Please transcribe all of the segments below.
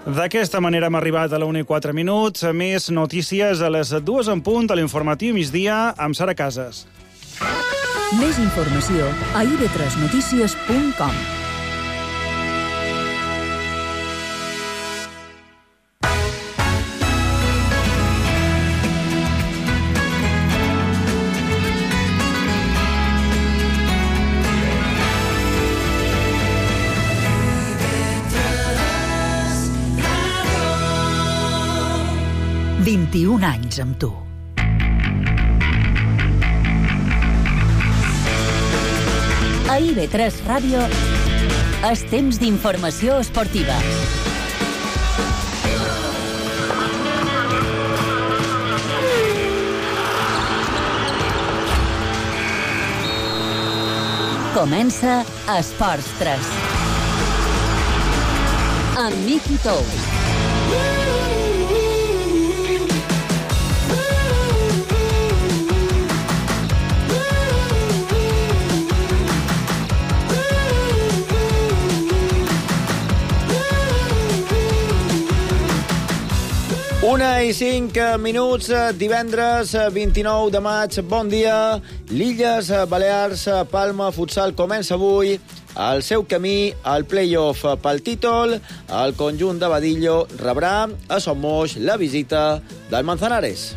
D'aquesta manera hem arribat a la 1:04. Més notícies a les 2 en punt a l'informatiu migdia amb Sara Casas. Més informació a ib3notícies.com. ...21 anys amb tu. A IB3 Ràdio, és temps d'informació esportiva. Comença Esports 3. Amb Miqui Tous. Una i 5 minuts, divendres 29 de maig. Bon dia. L'Illes Balears Palma Futsal comença avui el seu camí al play-off pel títol. El conjunt de Badillo rebrà a Son Moix la visita del Manzanares.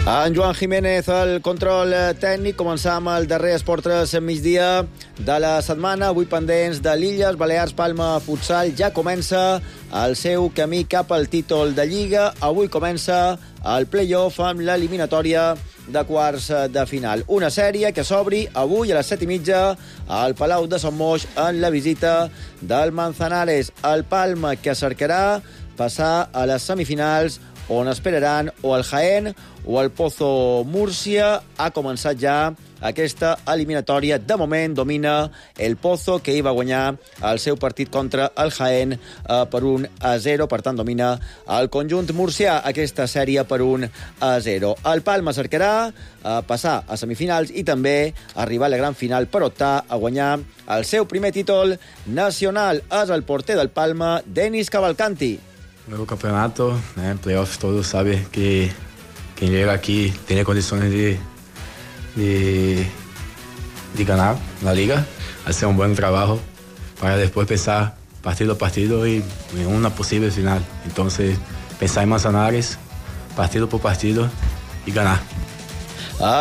En Joan Jiménez, el control tècnic. Començam el darrer Esport 3 migdia de la setmana. Avui pendents de l'Illes Balears Palma Futsal. Ja comença el seu camí cap al títol de Lliga. Avui comença el play-off amb l'eliminatòria de quarts de final. Una sèrie que s'obri avui a les 7:30 al Palau de Son Moix en la visita del Manzanares. El Palma, que cercarà passar a les semifinals, on esperaran o el Jaén o el Pozo Múrcia. Ha començat ja aquesta eliminatòria. De moment domina el Pozo, que hi va guanyar el seu partit contra el Jaén per 1-0. Per tant, domina el conjunt murcià aquesta sèrie per 1-0. El Palma cercarà passar a semifinals i també arribar a la gran final per optar a guanyar el seu primer títol nacional. És el porter del Palma, Denis Cavalcanti. Nuevo campeonato, playoff, todos saben que quien llega aquí tiene condiciones de ganar la liga, hacer un buen trabajo para después pensar partido a partido y en una posible final. Entonces, pensar en Manzanares, partido por partido y ganar.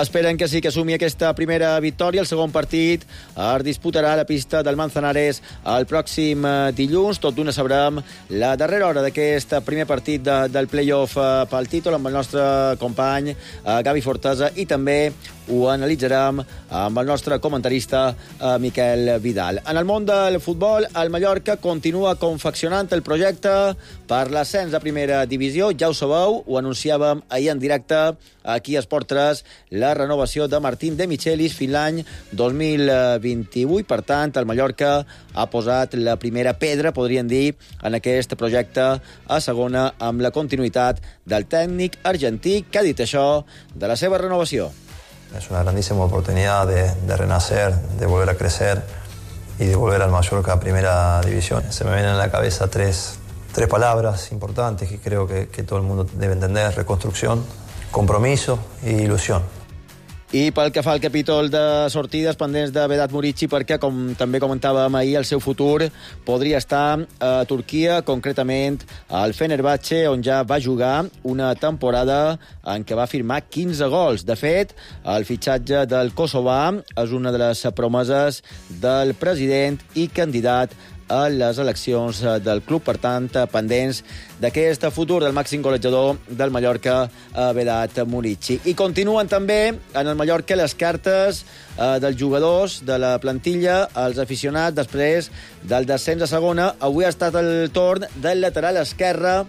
Esperen que sí que assumi aquesta primera victòria. El segon partit es disputarà a la pista del Manzanares el pròxim dilluns. Tot d'una sabrem la darrera hora d'aquest primer partit del play-off pel títol amb el nostre company Gavi Fortesa, i també ho analitzarem amb el nostre comentarista Miquel Vidal. En el món del futbol, el Mallorca continua confeccionant el projecte per l'ascens a primera divisió. Ja ho sabeu, ho anunciàvem ahir en directe aquí a Esport 3, la renovació de Martín de Michelis fins l'any 2028. Per tant, el Mallorca ha posat la primera pedra, podríem dir, en aquest projecte a segona, amb la continuïtat del tècnic argentí, que ha dit això de la seva renovació. Es una grandísima oportunidad de renacer, de volver a crecer y de volver al Mallorca a primera división. Se me vienen a la cabeza tres palabras importantes que creo que todo el mundo debe entender: reconstrucción, compromiso e ilusión. I pel que fa al capítol de sortides, pendents de Vedat Murici, perquè, com també comentàvem ahir, el seu futur podria estar a Turquia, concretament al Fenerbahçe, on ja va jugar una temporada en què va firmar 15 gols. De fet, el fitxatge del kosovà és una de les promeses del president i candidat a les eleccions del club. Per tant, pendents d'aquest futur del màxim golejador del Mallorca, Vedat Murici. I continuen també en el Mallorca les cartes dels jugadors de la plantilla, els aficionats, després del descens a segona. Avui ha estat el torn del lateral esquerre,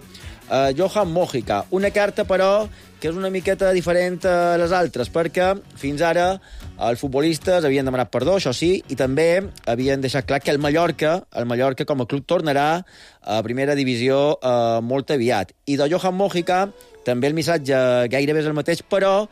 Johan Mojica. Una carta, però, que és una miqueta diferent a les altres, perquè fins ara els futbolistes havien demanat perdó, això sí, i també havien deixat clar que el Mallorca com a club tornarà a primera divisió molt aviat. I de Johan Mojica també el missatge gairebé és el mateix, però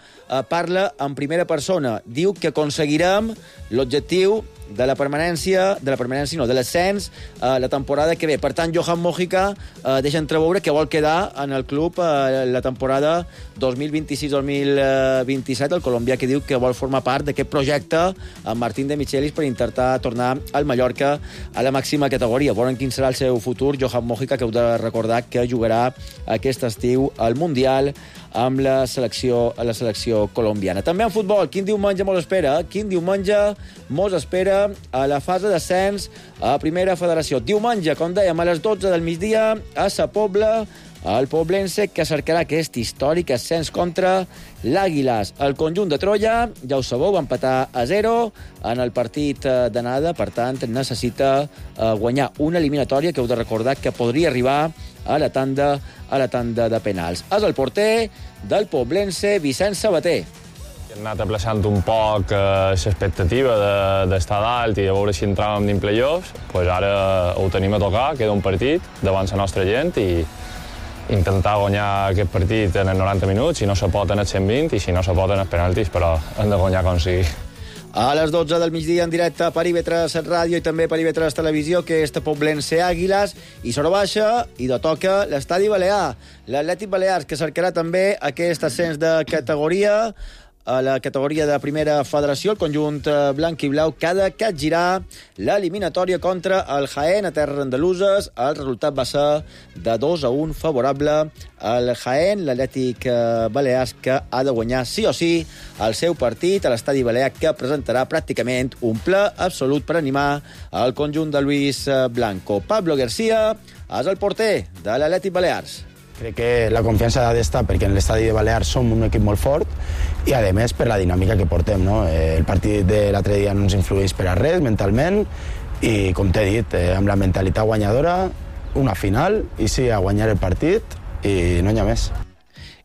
parla en primera persona. Diu que aconseguirem l'objectiu de l'ascens la temporada que ve. Per tant, Johan Mojica deixa entreveure que vol quedar en el club la temporada 2026-2027, el colombià que diu que vol formar part d'aquest projecte amb Martín de Michelis per intentar tornar al Mallorca a la màxima categoria. Veurem quin serà el seu futur. Johan Mojica, que heu de recordar que jugarà aquest estiu al Mundial amb la selecció colombiana. També en futbol, quin diumenge mos espera? Quin diumenge mos espera a la fase d'ascens a Primera Federació? Diumenge, com dèiem, a les 12 del migdia, a Sa Pobla, el poblense que cercarà aquest històric ascens contra l'Àguiles. El conjunt de Troia, ja ho sabeu, va empatar a 0 en el partit d'anada, per tant, necessita guanyar una eliminatòria que heu de recordar que podria arribar a la tanda de penals. És el porter del poblense, Vicent Sabater. Hem anat aplaçant un poc l'expectativa d'estar dalt i de veure si entràvem dins playoffs. Pues ara ho tenim a tocar, queda un partit davant la nostra gent i intentar guanyar aquest partit en els 90 minuts, si no se pot en els 120 i si no se pot en els penaltis, però hem de guanyar com sigui. A les 12 del migdia en directe per IB3 Ràdio i també per IB3 Televisió, que és Poblense Àguiles, i sobre baixa i de toca l'Estadi Balear. L'Atlètic Balears, que cercarà també aquest ascens de categoria a la categoria de Primera Federació. El conjunt blanc i blau que ha de capgirar l'eliminatòria contra el Jaén a terres andaluses. El resultat va ser de 2-1 favorable al Jaén. L'Atlètic Balears que ha de guanyar sí o sí el seu partit a l'Estadi Balear, que presentarà pràcticament un ple absolut per animar el conjunt de Luis Blanco. Pablo García és el porter de l'Atlètic Balears. Crec que la confiança ha d'estar perquè en l'estadi de Balears som un equip molt fort i, a més, per la dinàmica que portem, no? El partit de l'altre dia no ens influeix per a res mentalment i, com t'he dit, amb la mentalitat guanyadora, una final i sí, a guanyar el partit i no n'hi ha més.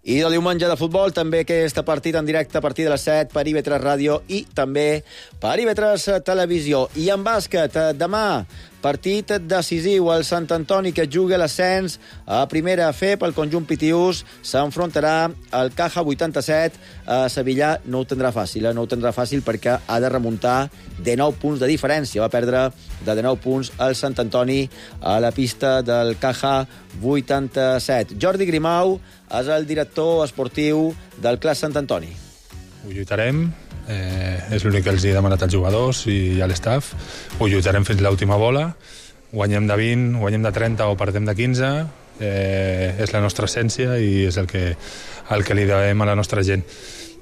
I del diumenge de futbol, també aquest partit en directe a partir de les 7 per IB3 Ràdio i també per IB3 Televisió. I en bàsquet, demà, partit decisiu. El Sant Antoni, que juga l'ascens a Primera F pel conjunt pitiús, s'enfrontarà al Caja 87 a Sevilla. No ho tindrà fàcil, no ho tindrà fàcil perquè ha de remuntar de 9 punts de diferència. Va perdre de 9 punts el Sant Antoni a la pista del Caja 87. Jordi Grimau és el director esportiu del Club Sant Antoni. Ho lluitarem, és l'únic que els he demanat als jugadors i a l'estaf. Ho lluitarem fins l'última bola, guanyem de 20, guanyem de 30 o perdem de 15, és la nostra essència i és el que li devem a la nostra gent.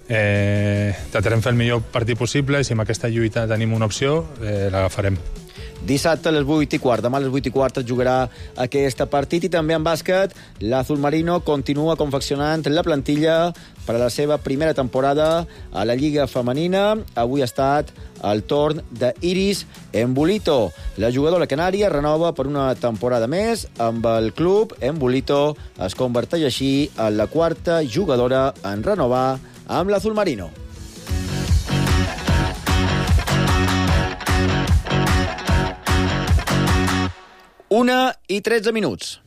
Tratarem fer el millor partit possible i si amb aquesta lluita tenim una opció, l'agafarem. Dissabte a les 8:15, demà a les 8:15 es jugarà aquest partit. I també en bàsquet, l'Azul Marino continua confeccionant la plantilla per a la seva primera temporada a la Lliga Femenina. Avui ha estat el torn d'Iris Embulito. La jugadora canària renova per una temporada més amb el club. Embulito es converteix així en la quarta jugadora en renovar amb l'Azul Marino. 1:13.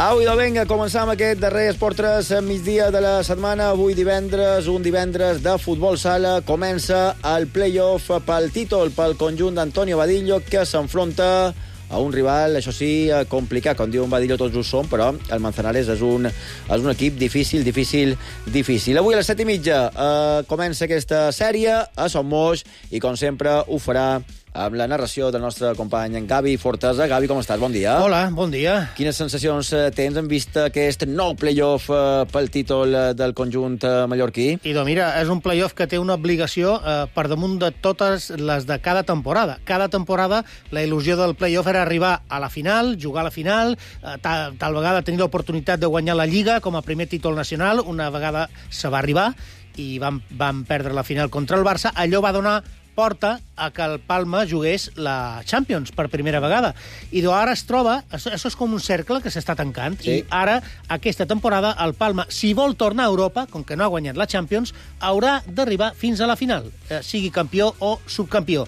Au, idò, vinga, començam aquest darrer Esport 3 migdia de la setmana. Avui divendres, un divendres de futbol sala. Comença el play-off pel títol, pel conjunt d'Antonio Vadillo, que s'enfronta a un rival, això sí, complicat. Com diu en Vadillo, tots ho som, però el Manzanares és un equip difícil. Avui a les 7:30 comença aquesta sèrie a Son Moix i, com sempre, ho farà amb la narració del nostre company en Gavi Fortesa. Gavi, com estàs? Bon dia. Hola, bon dia. Quines sensacions tens en vista aquest nou play-off pel títol del conjunt mallorquí? Idò, mira, és un play-off que té una obligació per damunt de totes les de cada temporada. Cada temporada la il·lusió del play-off era arribar a la final, jugar a la final, tal vegada tenir l'oportunitat de guanyar la Lliga com a primer títol nacional. Una vegada se va arribar i van perdre la final contra el Barça. Allò va donar porta a que el Palma jugués la Champions per primera vegada. I ara es troba... Això és com un cercle que s'està tancant. Sí. I ara, aquesta temporada, el Palma, si vol tornar a Europa, com que no ha guanyat la Champions, haurà d'arribar fins a la final, sigui campió o subcampió.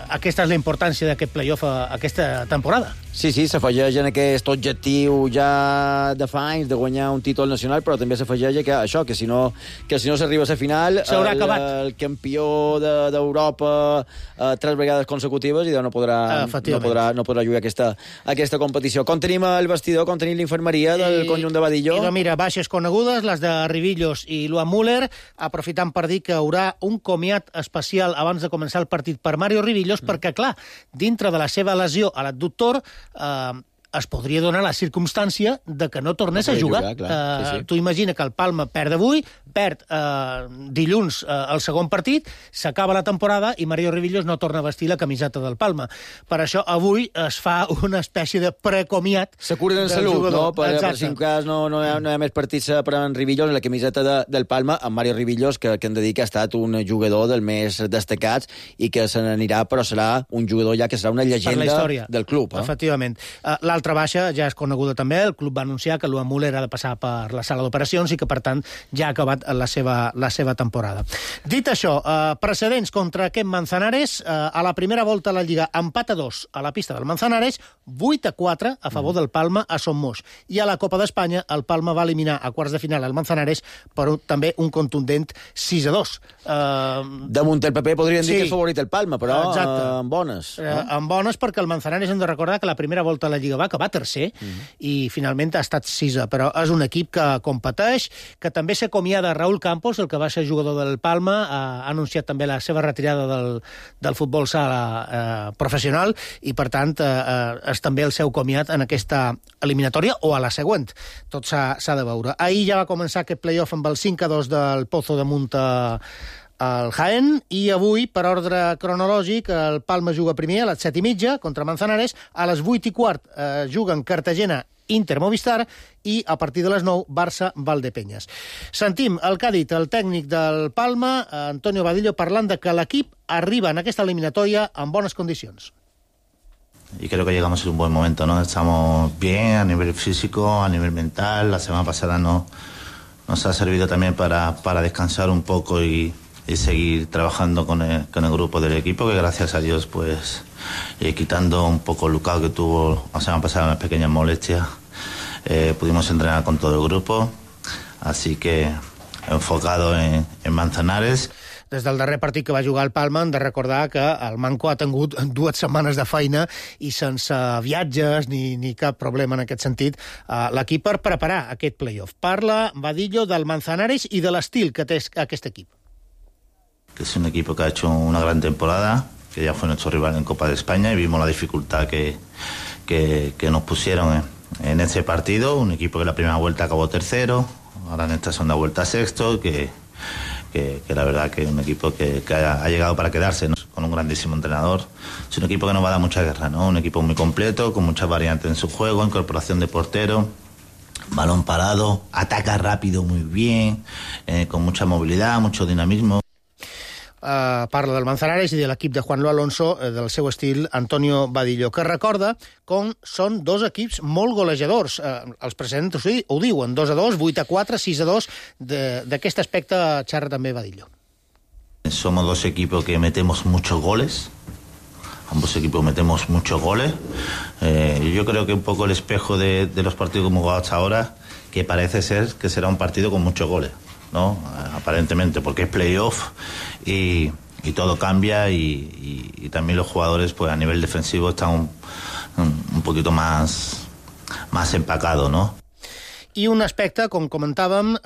Aquesta és la importància d'aquest play-off aquesta temporada. Sí, s'afegeix en aquest objectiu ja de fa anys de guanyar un títol nacional, però també s'afegeix que si no s'arriba a la final, el campió d'Europa 3 vegades consecutives i no podrà jugar aquesta competició. Com tenim el vestidor, com tenim l'infermeria del conjunt de Badillo? Mira, baixes conegudes, les de Rivillos i Luan Müller, aprofitant per dir que hi haurà un comiat especial abans de començar el partit per Mario Rivillos, perquè, clar, dintre de la seva lesió a l'adductor, es podria donar la circumstància de que no tornés a jugar. Sí. Tu imagina que el Palma perd avui, perd dilluns el segon partit, s'acaba la temporada i Mario Rivillos no torna a vestir la camiseta del Palma. Per això avui es fa una espècie de precomiat. Se curen en salut, no? Per si en cas no hi ha més partits per en Rivillos, en la camiseta del Palma, en Mario Rivillos, que hem de dir que ha estat un jugador dels més destacats i que se n'anirà, però serà un jugador ja que serà una llegenda del club. Efectivament. L'altra baixa ja és coneguda també. El club va anunciar que Luan Müller ha de passar per la sala d'operacions i que, per tant, ja ha acabat la seva temporada. Dit això, precedents contra aquest Manzanares, a la primera volta a la Lliga, empat a 2 a la pista del Manzanares, 8-4 a favor del Palma a Son Moix. I a la Copa d'Espanya, el Palma va eliminar a quarts de final al Manzanares per també un contundent 6-2. Damunt el paper podríem dir que és favorit el Palma, però amb bones. Amb bones, perquè el Manzanares hem de recordar que la primera volta a la Lliga va acabar tercer i finalment ha estat sisè, però és un equip que competeix, que també s'acomiada Raúl Campos, el que va ser jugador del Palma, ha anunciat també la seva retirada del futbol sala professional i, per tant, és també el seu comiat en aquesta eliminatòria o a la següent. Tot s'ha de veure. Ahir ja va començar aquest play-off amb el 5-2 del Pozo de Munta al Jaén, i avui, per ordre cronològic, el Palma juga primer a les 7:30 contra Manzanares, a les 8:15 juguen Cartagena Inter Movistar i a partir de les 9 Barça Valdepeñas. Sentim el que ha dit el tècnic del Palma, Antonio Badillo, parlant de que l'equip arriba en aquesta eliminatòria en bones condicions. Y creo que llegamos en un buen momento, ¿no? Estamos bien a nivel físico, a nivel mental. La semana pasada nos ha servido también para descansar un poco y seguir trabajando con el grupo del equipo, que gracias a Dios, pues quitando un poco el lucado que tuvo la semana pasada, unas pequeñas molestias, pudimos entrenar con todo el grupo, así que enfocado en Manzanares. Des del darrer partit que va jugar el Palma, hem de recordar que el Manco ha tingut 2 setmanes de feina i sense viatges ni cap problema en aquest sentit l'equip per preparar aquest play-off. Parla Badillo del Manzanares i de l'estil que té aquest equip. Que es un equipo que ha hecho una gran temporada, que ya fue nuestro rival en Copa de España y vimos la dificultad que nos pusieron en ese partido. Un equipo que la primera vuelta acabó tercero, ahora en esta segunda vuelta sexto, que la verdad que es un equipo que ha llegado para quedarse, ¿no? Con un grandísimo entrenador. Es un equipo que nos va a dar mucha guerra, ¿no? Un equipo muy completo, con muchas variantes en su juego, incorporación de portero, balón parado, ataca rápido muy bien, con mucha movilidad, mucho dinamismo. Parla del Manzanares i de l'equip de Juanlo Alonso, del seu estil, Antonio Badillo, que recorda com són 2 equips molt golejadors. Els precedents ho diuen, 2-2, 8-4, 6-2. D'aquest aspecte xerra també Badillo. Somos 2 equipos que metemos muchos goles. Ambos equipos metemos muchos goles. Yo creo que un poco el espejo de los partidos que hemos jugado hasta ahora, que parece ser que será un partido con muchos goles, ¿no? Aparentemente, porque es playoff y todo cambia y también los jugadores, pues a nivel defensivo están un poquito más empacados, ¿no? I un aspecte, com comentàvem,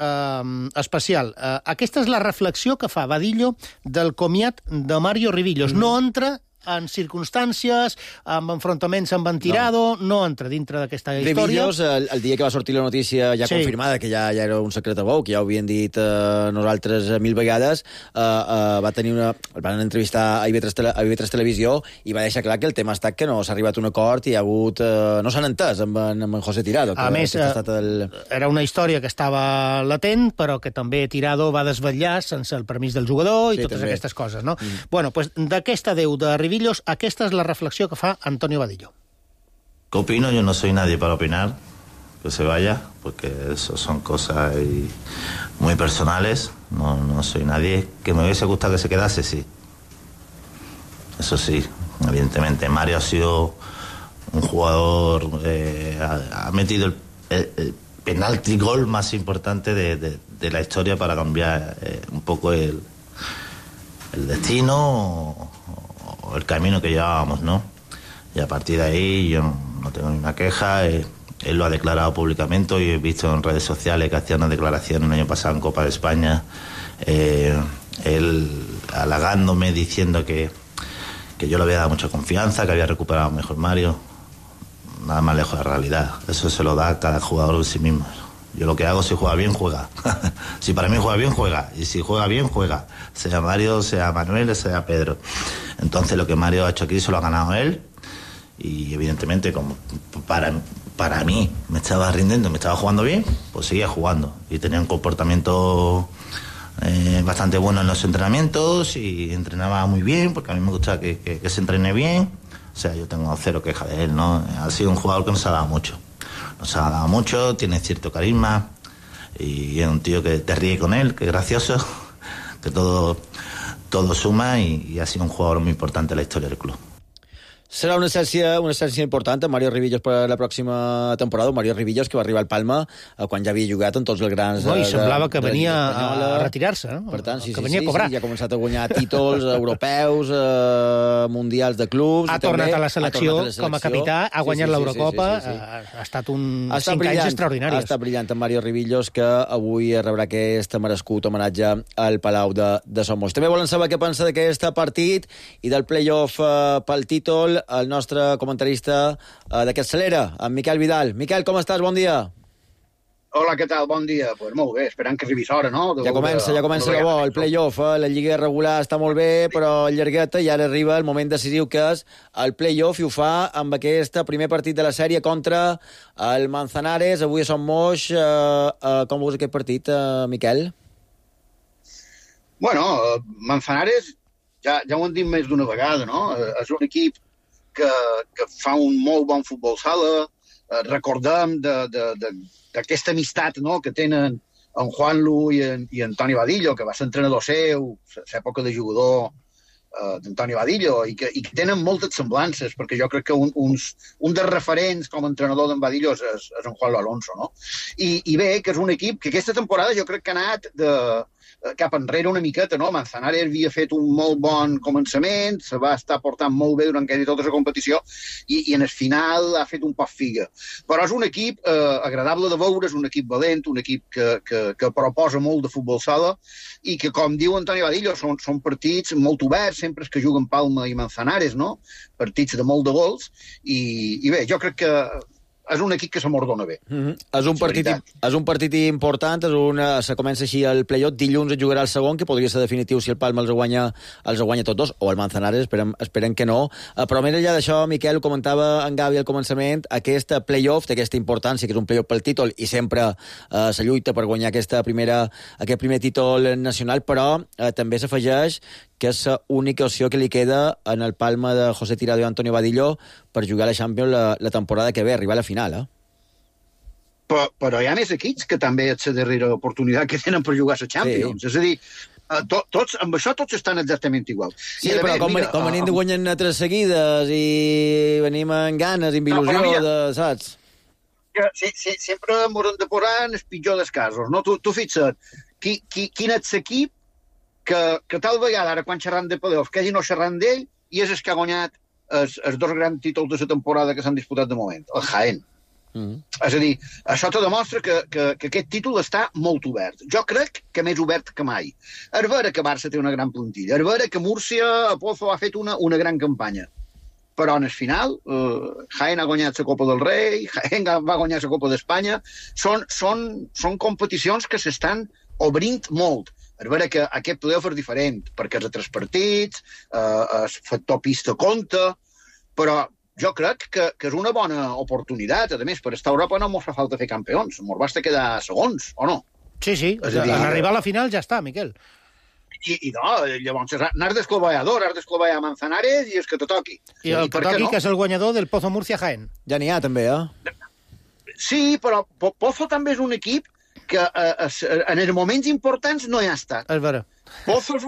especial. Aquesta és la reflexió que fa Badillo del comiat de Mario Rivillos. No entra en circumstàncies, amb enfrontaments amb Tirado, no entra dintre d'aquesta història. Rivillos, el dia que va sortir la notícia ja confirmada, que ja era un secret a bou, que ja ho havien dit nosaltres 1000 vegades, el van entrevistar a IB3 Televisió i va deixar clar que el tema ha estat que no s'ha arribat a un acord i hi ha hagut... no s'han entès amb en José Tirado. A més, era una història que estava latent, però que també Tirado va desvetllar sense el permís del jugador i totes aquestes coses, no? Bueno, pues d'aquesta adeu de Rivillos, aquesta és la reflexió que fa Antonio Vadillo. ¿Qué opino? Yo no soy nadie para opinar que se vaya, porque eso son cosas muy personales. No soy nadie. Que me hubiese gustado que se quedase, sí. Eso sí, evidentemente. Mario ha sido un jugador... ha metido el penalti gol más importante de la historia para cambiar un poco el destino o el camino que llevábamos, ¿no? Y a partir de ahí yo no tengo ninguna queja. Él lo ha declarado públicamente y he visto en redes sociales que hacía una declaración el año pasado en Copa de España, él halagándome, diciendo que yo le había dado mucha confianza, que había recuperado mejor Mario. Nada más lejos de la realidad. Eso se lo da cada jugador de sí mismo. Yo lo que hago, si juega bien, juega. Si para mí juega bien, juega. Y si juega bien, juega. Sea Mario, sea Manuel, sea Pedro. Entonces lo que Mario ha hecho aquí se lo ha ganado él. Y evidentemente, como para mí me estaba rindiendo, me estaba jugando bien, pues seguía jugando. Y tenía un comportamiento bastante bueno en los entrenamientos y entrenaba muy bien, porque a mí me gusta que se entrene bien. O sea, yo tengo cero queja de él, ¿no? Ha sido un jugador que nos ha dado mucho. Nos ha dado mucho, tiene cierto carisma y es un tío que te ríe con él, que es gracioso, que todo suma y ha sido un jugador muy importante en la historia del club. Serà una essència important amb Mario Rivillos per la pròxima temporada. Mario Rivillos, que va arribar al Palma quan ja havia jugat en tots els grans... No, i semblava que venia a retirar-se, no? Per tant, sí, que venia a cobrar. Sí, ja ha començat a guanyar títols europeus, mundials de clubs... Ha tornat a la selecció com a capità, ha guanyat l'Eurocopa, ha estat 5 anys extraordinaris. Ha estat brillant en Mario Rivillos, que avui rebrà aquest merescut homenatge al Palau de Somos. També volen saber què pensa d'aquest partit i del play-off pel títol el nostre comentarista d'aquest Celera, en Miquel Vidal. Miquel, com estàs? Bon dia. Hola, què tal? Bon dia. Pues molt bé, esperant que arribis hora, no? Ja comença de bo, el play-off. La lliga regular està molt bé, però llargueta, i ara arriba el moment decisiu, que és el play-off, i ho fa amb aquest primer partit de la sèrie contra el Manzanares. Avui a Son Moix. Com veus aquest partit, Miquel? Bueno, Manzanares, ja ho hem dit més d'una vegada, no? És un equip que fa un molt bon futbol sala. Recordem d'aquesta amistat, no?, que tenen en Juanlu i Antoni Vadillo, que va ser entrenador seu, l'època de jugador d'Antoni Vadillo, i que tenen moltes semblances, perquè jo crec que un dels referents com a entrenador d'en Vadillo és en Juanlu Alonso, no? I bé, que és un equip que aquesta temporada jo crec que ha anat cap enrere una miqueta, no? Manzanares havia fet un molt bon començament, se va estar portant molt bé durant quasi tota la competició i en el final ha fet un poc figa. Però és un equip agradable de veure, és un equip valent, un equip que proposa molt de futbol sala i que, com diu Antoni Vadillo, són partits molt oberts, sempre que juguen Palma i Manzanares, no? Partits de molt de gols i bé, jo crec que és un equip que se mordona bé. És un partit important, se comença així el play-off, dilluns es jugarà el segon, que podria ser definitiu si el Palma els guanya tots dos, o el Manzanares, esperem que no. Però més enllà d'això, Miquel, ho comentava en Gavi al començament, aquest play-off té aquesta importància, que és un play-off pel títol, i sempre se lluita per guanyar aquest primer títol nacional, però també s'afegeix que és l'única opció que li queda en el Palma de José Tirado i Antonio Vadillo per jugar a la Champions la temporada que ve, arribar a la final, Però hi ha més equips que també és la darrera oportunitat que tenen per jugar a la Champions. Sí. És a dir, amb això tots estan exactament igual. Sí, però com venim de guanyar 3 seguides i venim amb ganes, amb il·lusió, saps? Sí, sempre m'haurem de posar en el pitjor dels casos, no? Tu fixa't, quin és l'equip que tal vegada, ara quan xerram de playoff, que hagi no xerrant d'ell, i és el que ha guanyat els 2 grans títols de la temporada que s'han disputat de moment, el Jaén. És a dir, això te demostra que aquest títol està molt obert. Jo crec que més obert que mai. És vera que Barça té una gran plantilla, és vera que Múrcia a Pozo ha fet una gran campanya, però en el final Jaén ha guanyat la Copa del Rei, Jaén va guanyar la Copa d'Espanya. Són competicions que s'estan obrint molt. És vera que aquest playoff és diferent, perquè és a 3 partits, el factor pista compta, però jo crec que és una bona oportunitat. A més, per estar a Europa no ens fa falta fer campions, ens basta quedar segons, o no? Sí, en arribar a la final ja està, Miquel. I no, llavors n'has d'esclavar a 2, has d'esclavar a Manzanares i és que te toqui. I el que toqui, que és el guanyador del Pozo Múrcia Jaén. Ja n'hi ha, també, Sí, però Pozo també és un equip que en els moments importants no hi ha estat. És vera. Pozo és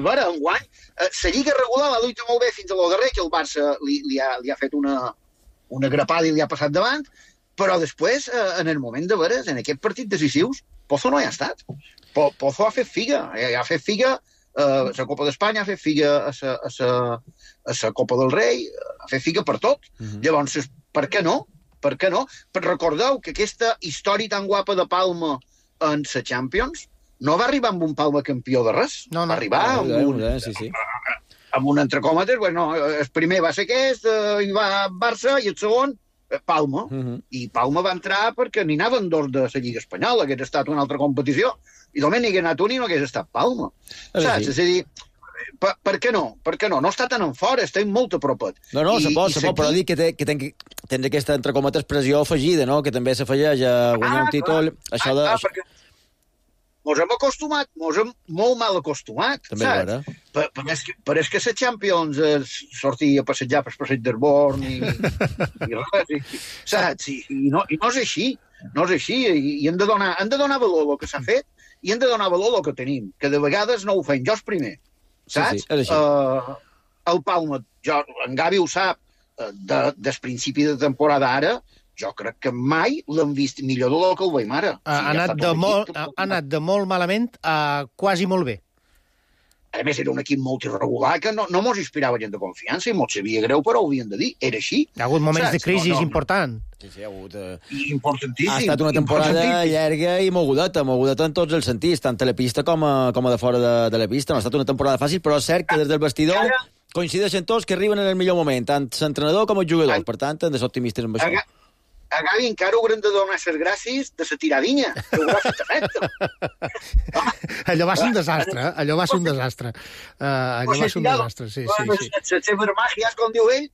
vera, enguany. La Lliga regular l'ha lluitat molt bé fins a lo darrer, que el Barça li ha fet una grapada i li ha passat davant, però després, en el moment de veres, en aquest partit decisius, Pozo no hi ha estat. Pozo ha fet figa. Ha fet figa a la Copa d'Espanya, ha fet figa a la Copa del Rei, ha fet figa per tot. Llavors, per què no? Per què no? Recordeu que aquesta història tan guapa de Palma en la Champions no va arribar amb un Palma campió de res. No. Va arribar amb un entre còmetes. Bueno, el primer va ser aquest, hi va Barça, i el segon, Palma. I Palma va entrar perquè n'hi anaven 2 de la Lliga Espanyola, que hagués estat una altra competició. I només n'hi hagués anat un i no hagués estat Palma. Saps? És a dir, per què no? Per què no? No està tan en fora, estem molt a propet. No, se pot, però dic que tens aquesta, entre cometes, pressió afegida, no? Que també s'afegeix a guanyar un títol. Això de... perquè mos hem acostumat, mos hem molt mal acostumat, saps? Però és que la Champions sortia a passejar per passeig d'Herborn i res, saps? I no és així, no és així, i hem de donar valor al que s'ha fet i hem de donar valor al que tenim, que de vegades no ho fem, jo és primer, saps? Sí, és així. El Palma, en Gavi ho sap, des principi de temporada ara, jo crec que mai l'hem vist millor del que el veiem ara. Ha anat de molt malament a quasi molt bé. A més, era un equip molt irregular que no mos inspirava gent de confiança i mos sabia greu, però ho havien de dir. Era així. Hi ha hagut moments de crisi important. Sí, hi ha hagut... Importantíssim. Ha estat una temporada llarga i mogudeta en tots els sentits, tant a la pista com a de fora de la pista. No ha estat una temporada fàcil, però és cert que des del vestidor coincideixen tots que arriben en el millor moment, tant l'entrenador com els jugadors. Per tant, hem de ser optimistes amb això. A Gavi encara haurem de donar les gràcies de la tiradinha, que ho ha fet efecte. Allò va ser un desastre, allò va ser un desastre. Sí. Les seves màgies, com diu ell,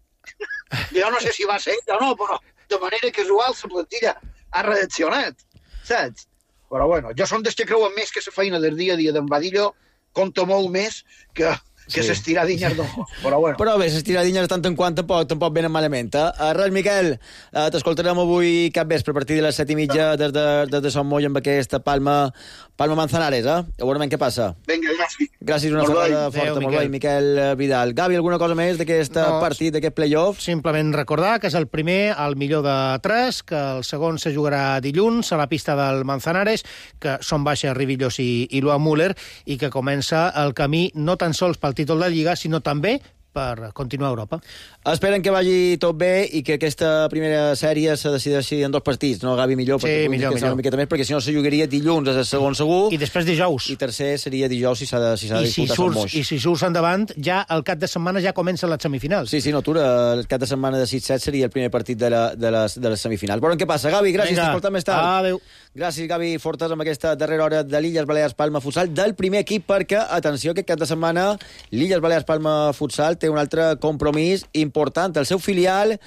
jo no sé si va ser ell o no, però de manera casual la plantilla ha reaccionat, saps? Però bueno, jo som dels que creuen més que la feina del dia a dia d'en Badillo compta molt més que les tiradinyes no. Però bé, les tiradinyes de tant en quant tampoc venen malament. Res, Miquel, t'escoltarem avui cap vespre a partir de les 7:30 des de Son Moll amb aquesta Palma Manzanares, Ja veurem què passa. Vinga, gràcies. Gràcies, una forta forta. Molt bé, Miquel Vidal. Gavi, alguna cosa més d'aquest partit, d'aquest playoff? Simplement recordar que és el primer, el millor de 3, que el segon se jugarà dilluns a la pista del Manzanares, que són baixa Rivillos i Luan Müller, i que comença el camí no tan sols pel títol de Lliga, sinó també per continuar a Europa. Esperen que vagi tot bé i que aquesta primera sèrie se decideixi en 2 partits, no, Gavi? Millor, millor. Una miqueta més, perquè si no se jugaria dilluns és el segon segur. I després dijous. I tercer seria dijous si s'ha de disputar Sant Moix. I si surts endavant, ja el cap de setmana ja comencen les semifinals. Sí, no, el cap de setmana de 6-7 seria el primer partit de les semifinals. Veurem què passa. Gavi, gràcies, t'escoltem més tard. Adéu. Gràcies, Gavi Fortes, amb aquesta darrera hora de l'Illes Balears Palma Futsal del primer equip, perquè, atenció, aquest cap de setmana l'Illes Balears Palma Futsal té un altre compromís important. El seu filial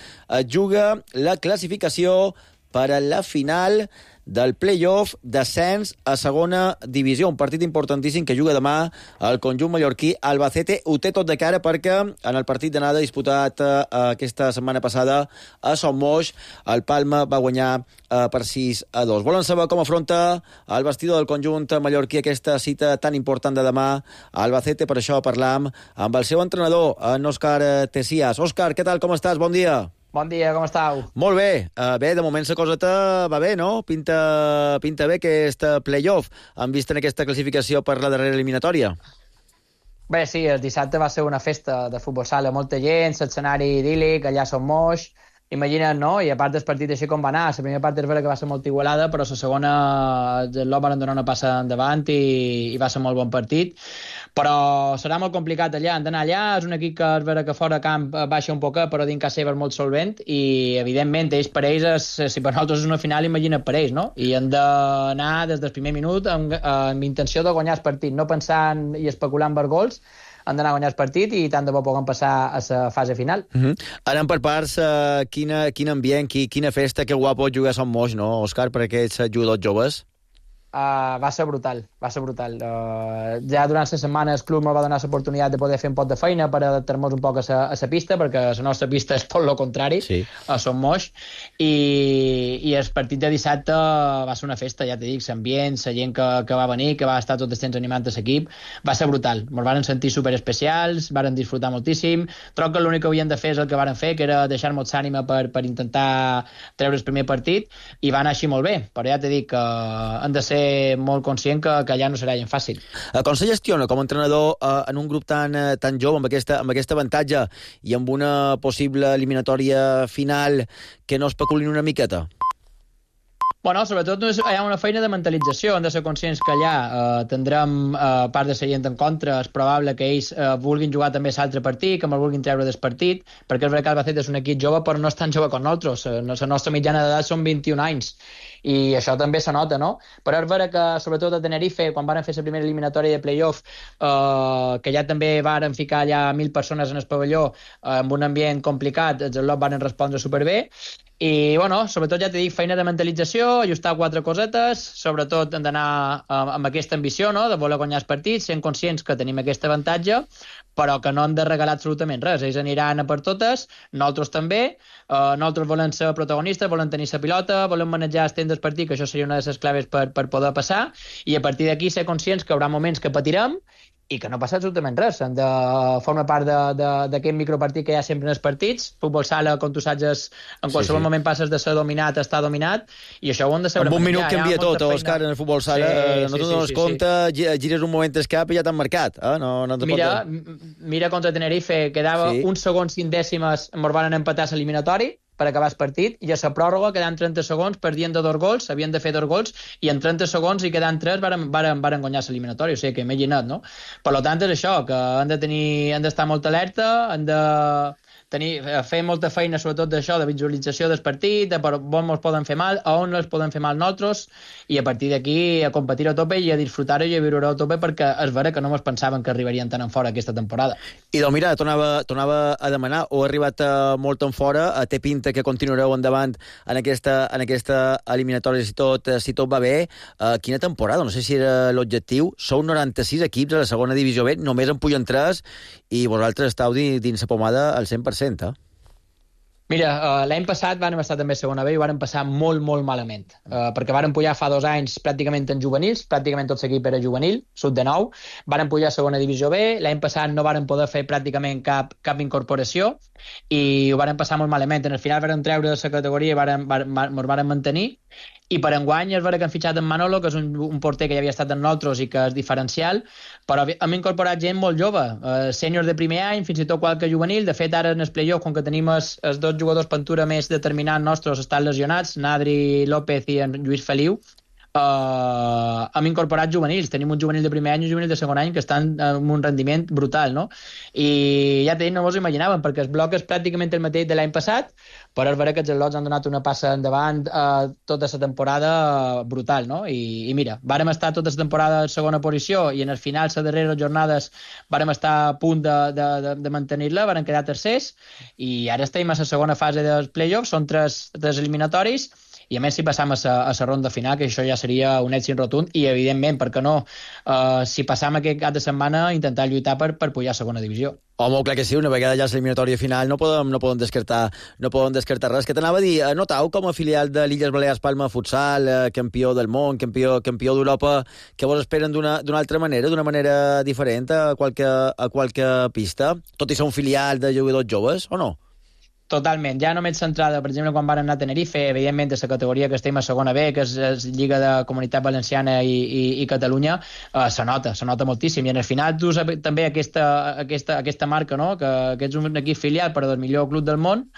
juga la classificació per a la final del playoff d'ascens a segona divisió. Un partit importantíssim que juga demà el conjunt mallorquí. Albacete ho té tot de cara perquè en el partit d'anada disputat aquesta setmana passada a Son Moix, el Palma va guanyar per 6-2. Volen saber com afronta el vestidor del conjunt mallorquí aquesta cita tan important de demà a Albacete. Per això parlam amb el seu entrenador, en Òscar Tessias. Òscar, què tal, com estàs? Bon dia. Bon dia, com estàu? Molt bé. Bé, de moment la coseta va bé, no? Pinta bé aquest playoff, en vista en aquesta classificació per la darrera eliminatòria. Bé, sí, el dissabte va ser una festa de futbol sala, molta gent, l'escenari idíl·lic, allà a Son Moix, imagina't, no? I a part del partit així com va anar, la primera part és vera que va ser molt igualada, però la segona els Lot van donar una passa endavant i va ser molt bon partit. Però serà molt complicat allà, han d'anar allà, és un equip que és vera que fora camp baixa un poc, però dins casa seva és molt solvent i, evidentment, per ells, si per nosaltres és una final, imagina't per ells, no? I han d'anar des del primer minut amb intenció de guanyar el partit, no pensant i especulant per gols, han d'anar a guanyar el partit i tant de bo puguem passar a la fase final. Anem per parts, quin ambient, quina festa, que guapo jugar a Son Moix, no, Òscar, per aquests jugadors joves? Va ser brutal, va ser brutal. Ja durant la setmana el club ens va donar l'oportunitat de poder fer un pot de feina per adaptar-nos un poc a la pista, perquè la nostra pista és tot el contrari, a Son Moix, i el partit de dissabte va ser una festa, ja t'he dit, l'ambient, la gent que va venir, que va estar tot el temps animant l'equip, va ser brutal. Ens van sentir superespecials, varen disfrutar moltíssim. Trobo que l'únic que havien de fer és el que varen fer, que era deixar-nos ànima per intentar treure el primer partit, i va anar així molt bé, però ja t'he dit que han de ser molt conscient que allà no serà gens fàcil. Com se gestiona com a entrenador en un grup tan jove, amb aquest avantatge i amb una possible eliminatòria final que no especulin una miqueta? Bueno, sobretot hi ha una feina de mentalització, hem de ser conscients que allà tindrem part de la gent en contra, és probable que ells vulguin jugar també l'altre partit, que me'l vulguin treure del partit, perquè és veritat que el Albacete és un equip jove, però no és tan jove com nosaltres, la nostra mitjana d'edat són 21 anys, i això també se nota, no? Però és vera que, sobretot a Tenerife, quan van fer la primera eliminatòria de play-off, que ja també varen ficar allà 1.000 persones en el pavelló, amb un ambient complicat, els Lot van respondre superbé, i, bueno, sobretot ja t'he dit, feina de mentalització, ajustar 4 cosetes, sobretot hem d'anar amb aquesta ambició, no?, de voler guanyar els partits, sent conscients que tenim aquest avantatge, però que no hem de regalar absolutament res. Ells aniran a per totes, nosaltres també, nosaltres volem ser protagonistes, volem tenir la pilota, volem manejar el temps del partit, que això seria una de les claves per poder passar, i a partir d'aquí ser conscients que hi haurà moments que patirem, i que no passa absolutament res. Hem de formar part d'aquest micropartit que hi ha sempre en els partits. Futbol sala, com tu saps, en qualsevol moment passes de ser dominat a estar dominat, i això ho hem de saber. En un minut canvia tot, Òscar, en el futbol sala. No te'n dones compte, gires un moment el cap i ja t'han marcat. Mira contra Tenerife, quedava uns segons 5 dècimes, ens van empatar l'eliminatori per acabar el partit, i a la pròrroga quedant 30 segons, perdien de 2 gols, havien de fer 2 gols, i en 30 segons i quedant 3 varen guanyar l'eliminatori, o sigui que imagina't, no? Per tant, és això, que han d'estar molt alerta, han de fer molta feina, sobretot d'això, de visualització del partit, de per on ens poden fer mal, a on els poden fer mal nosaltres, i a partir d'aquí a competir a tope i a disfrutar-ho i a viure-ho a tope, perquè és vera que no ens pensaven que arribarien tan en fora aquesta temporada. I doncs mira, tornava a demanar, o ha arribat molt en fora, té pinta que continuareu endavant en aquesta eliminatòria si tot va bé. Quina temporada? No sé si era l'objectiu. Sou 96 equips a la segona divisió B, només en pugen 3, i vosaltres esteu dins la pomada al 100%, Mira, l'any passat vam estar també a segona B i vam passar molt, molt malament, perquè vam pujar fa 2 anys pràcticament en juvenils, pràcticament tot l'equip era juvenil, sud de 9, vam pujar a segona divisió B, l'any passat no vam poder fer pràcticament cap incorporació i ho vam passar molt malament. En el final vam treure la categoria i ens vam mantenir, i per enguany és vera que han fitxat en Manolo, que és un porter que ja havia estat amb nosaltres i que és diferencial, però hem incorporat gent molt jove, sèniors de primer any, fins i tot qualque juvenil. De fet, ara en el playoff, com que tenim els 2 jugadors pintura més determinants nostres estan lesionats, Nadri López i en Lluís Feliu, hem incorporat juvenils. Tenim un juvenil de primer any i un juvenil de segon any que estan amb un rendiment brutal, no? I ja no mos ho imaginàvem, perquè el bloc és pràcticament el mateix de l'any passat, però és vera que els Lots han donat una passa endavant tota la temporada brutal, no? I mira, vàrem estar tota la temporada en segona posició i en el final, les darreres jornades, vàrem estar a punt de mantenir-la, vàrem quedar tercers, i ara estem a la segona fase dels play-offs, són 3 eliminatoris, i a més si passam a la ronda final, que això ja seria un èxit rotund, i evidentment, per què no, si passam aquest cap de setmana, intentar lluitar per pujar a segona divisió. Home, clar que sí, una vegada ja l'eliminatòria final no poden descartar res. Que t'anava a dir, notau com a filial de l'Illes Balears Palma Futsal, campió del món, campió d'Europa, que vos esperen d'una altra manera, d'una manera diferent a qualque pista, tot i ser un filial de jugadors joves, o no? Totalment, ja només centrada, per exemple, quan van anar a Tenerife, evidentment, de la categoria que estem a segona B, que és Lliga de Comunitat Valenciana i Catalunya, se nota moltíssim, i en el final tu saps també aquesta marca, no?, que ets un equip filial, però del millor club del món,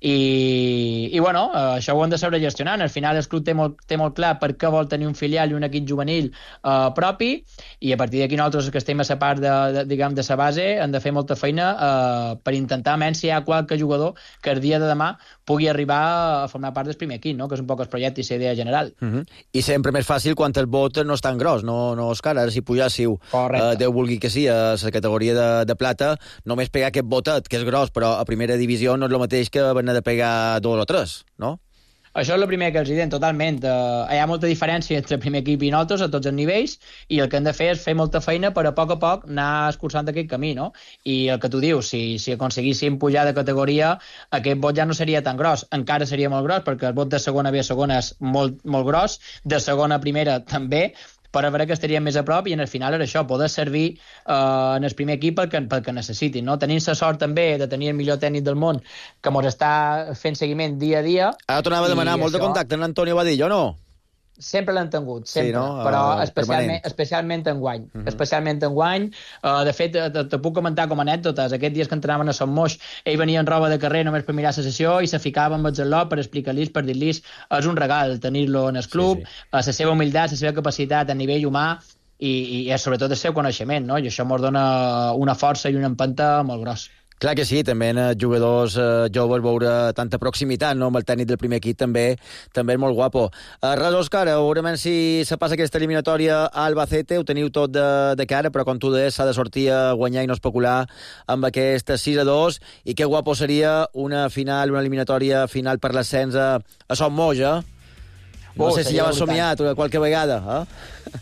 I bueno, això ho hem de saber gestionar. Al final el club té molt clar per què vol tenir un filial i un equip juvenil propi, i a partir d'aquí nosaltres que estem a la part de la base hem de fer molta feina per intentar almenys si hi ha qualque jugador que el dia de demà pugui arribar a formar part del primer equip, no? Que és un poc el projecte i la idea general. I sempre més fàcil quan el vot no és tan gros, no, Òscar? Ara si pujássiu, Déu vulgui que sí, a la categoria de plata, només pegar aquest votet, que és gros, però a primera divisió no és el mateix que haver de pegar 2 o 3, no? Això és el primer que els diuen, totalment. Hi ha molta diferència entre el primer equip i nosaltres a tots els nivells, i el que hem de fer és fer molta feina per a poc anar escurçant aquest camí, no? I el que tu dius, si aconseguíssim pujar de categoria, aquest vot ja no seria tan gros. Encara seria molt gros, perquè el vot de segona B a segona és molt, molt gros, de segona a primera també, per a veure que estaríem més a prop, i en el final era això, poder servir en el primer equip pel que necessitin, no? Tenint la sort també de tenir el millor tècnic del món que ens està fent seguiment dia a dia. Ara tornava a demanar molt de contacte en Antonio Badillo, no? Sempre l'han tingut, sempre, sí, no? Però especialment enguany. Especialment enguany. De fet, te puc comentar com a anècdotes. Aquests dies que entrenaven a Sant Moix, ell venia en roba de carrer només per mirar la sessió i se ficava amb el gelot per explicar-los, per dir-los, és un regal tenir-lo en el club, la seva humilitat, la seva capacitat a nivell humà i sobretot el seu coneixement, no? I això ens dona una força i una empenta molt gros. Clar que sí, també en jugadors joves veure tanta proximitat, no? Amb el tècnic del primer equip també és molt guapo. Res, Òscar, veurem si se passa aquesta eliminatòria a Albacete, ho teniu tot de cara, però com tu deies, s'ha de sortir a guanyar i no especular amb aquest 6-2, i que guapo seria una eliminatòria final per l'ascens a Son Moix, eh? No sé si ja vas somiat qualque vegada, eh?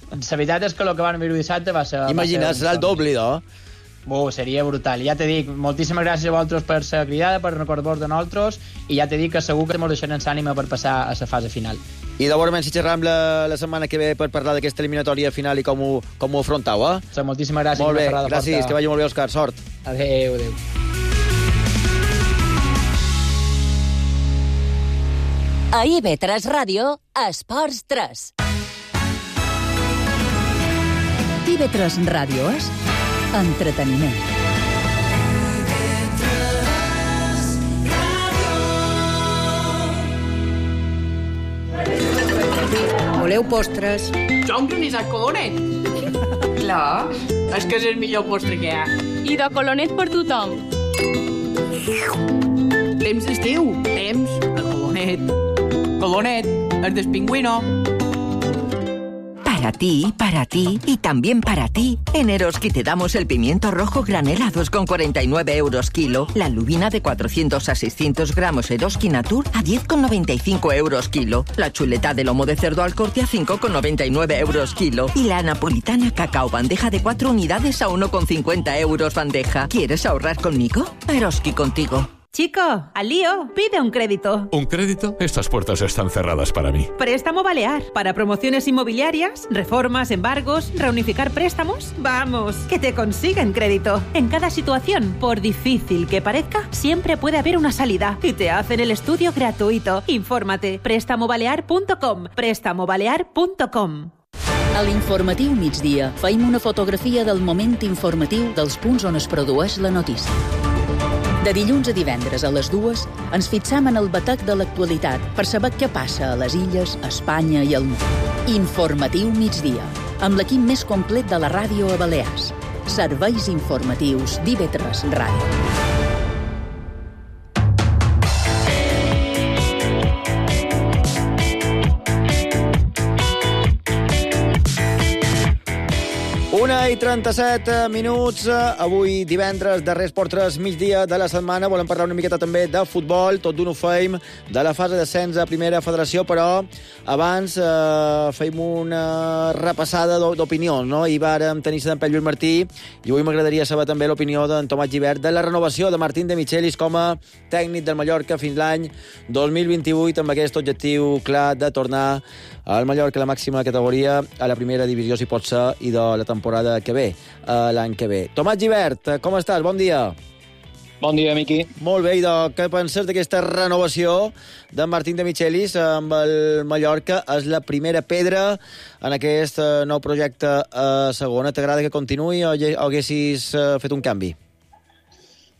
La veritat és que el que van viure dissabte va ser... Imagina't, serà el doble, no? Seria brutal. I ja t'he dit, moltíssimes gràcies a vosaltres per la cridada, per recordar-vos de nosaltres, i ja t'he dit que segur que ens deixarem l'ànima per passar a la fase final. I de veure si xerram la setmana que ve per parlar d'aquesta eliminatòria final i com ho afrontau, eh? Moltíssimes gràcies. Molt bé, gràcies, que vagi molt bé, Òscar, sort. Adéu. A IB3 Ràdio, Esports 3. IB3 Ràdio és entreteniment. Voleu postres? Jo un granissat colonet. Clar, és que és el millor postre que hi ha. I de colonet per tothom. Temps d'estiu, temps de colonet. Colonet, el del pingüino. Para ti y también para ti. En Eroski te damos el pimiento rojo granel a 2,49 euros kilo, la lubina de 400 a 600 gramos Eroski Natur a 10,95 euros kilo, la chuleta de lomo de cerdo al corte a 5,99 euros kilo y la napolitana cacao bandeja de 4 unidades a 1,50 euros bandeja. ¿Quieres ahorrar conmigo? Eroski contigo. Chico, al lío, pide un crédito. ¿Un crédito? Estas puertas están cerradas para mí. Préstamo Balear. Para promociones inmobiliarias, reformas, embargos, reunificar préstamos. Vamos, que te consiguen crédito. En cada situación, por difícil que parezca, siempre puede haber una salida. Y te hacen el estudio gratuito. Infórmate. Prestamobalear.com. Prestamobalear.com. A l'informatiu migdia feim una fotografia del moment informatiu dels punts on es produeix la notícia. De dilluns a divendres a les 2 ens fixam en el batec de l'actualitat per saber què passa a les illes, a Espanya i al món. Informatiu migdia, amb l'equip més complet de la ràdio a Balears. Serveis informatius d'IB3 Ràdio. I 37 minuts, avui divendres, darrer Esport 3, migdia de la setmana. Volem parlar una miqueta també de futbol, tot d'un ho feim, de la fase d'ascens a Primera Federació, però abans feim una repassada d'opinions, no? I vàrem tenir d'en Lluís Martí, i avui m'agradaria saber també l'opinió d'en Tomàs Gibert de la renovació de Martín de Michelis com a tècnic del Mallorca fins l'any 2028, amb aquest objectiu clar de tornar al Mallorca a la màxima categoria, a la primera divisió, si pot ser, i de la temporada que ve, l'any que ve. Tomàs Gibert, com estàs? Bon dia. Bon dia, Miqui. Molt bé, i què penses d'aquesta renovació de Martín de Michelis amb el Mallorca? És la primera pedra en aquest nou projecte a segona. T'agrada que continuï o haguessis fet un canvi?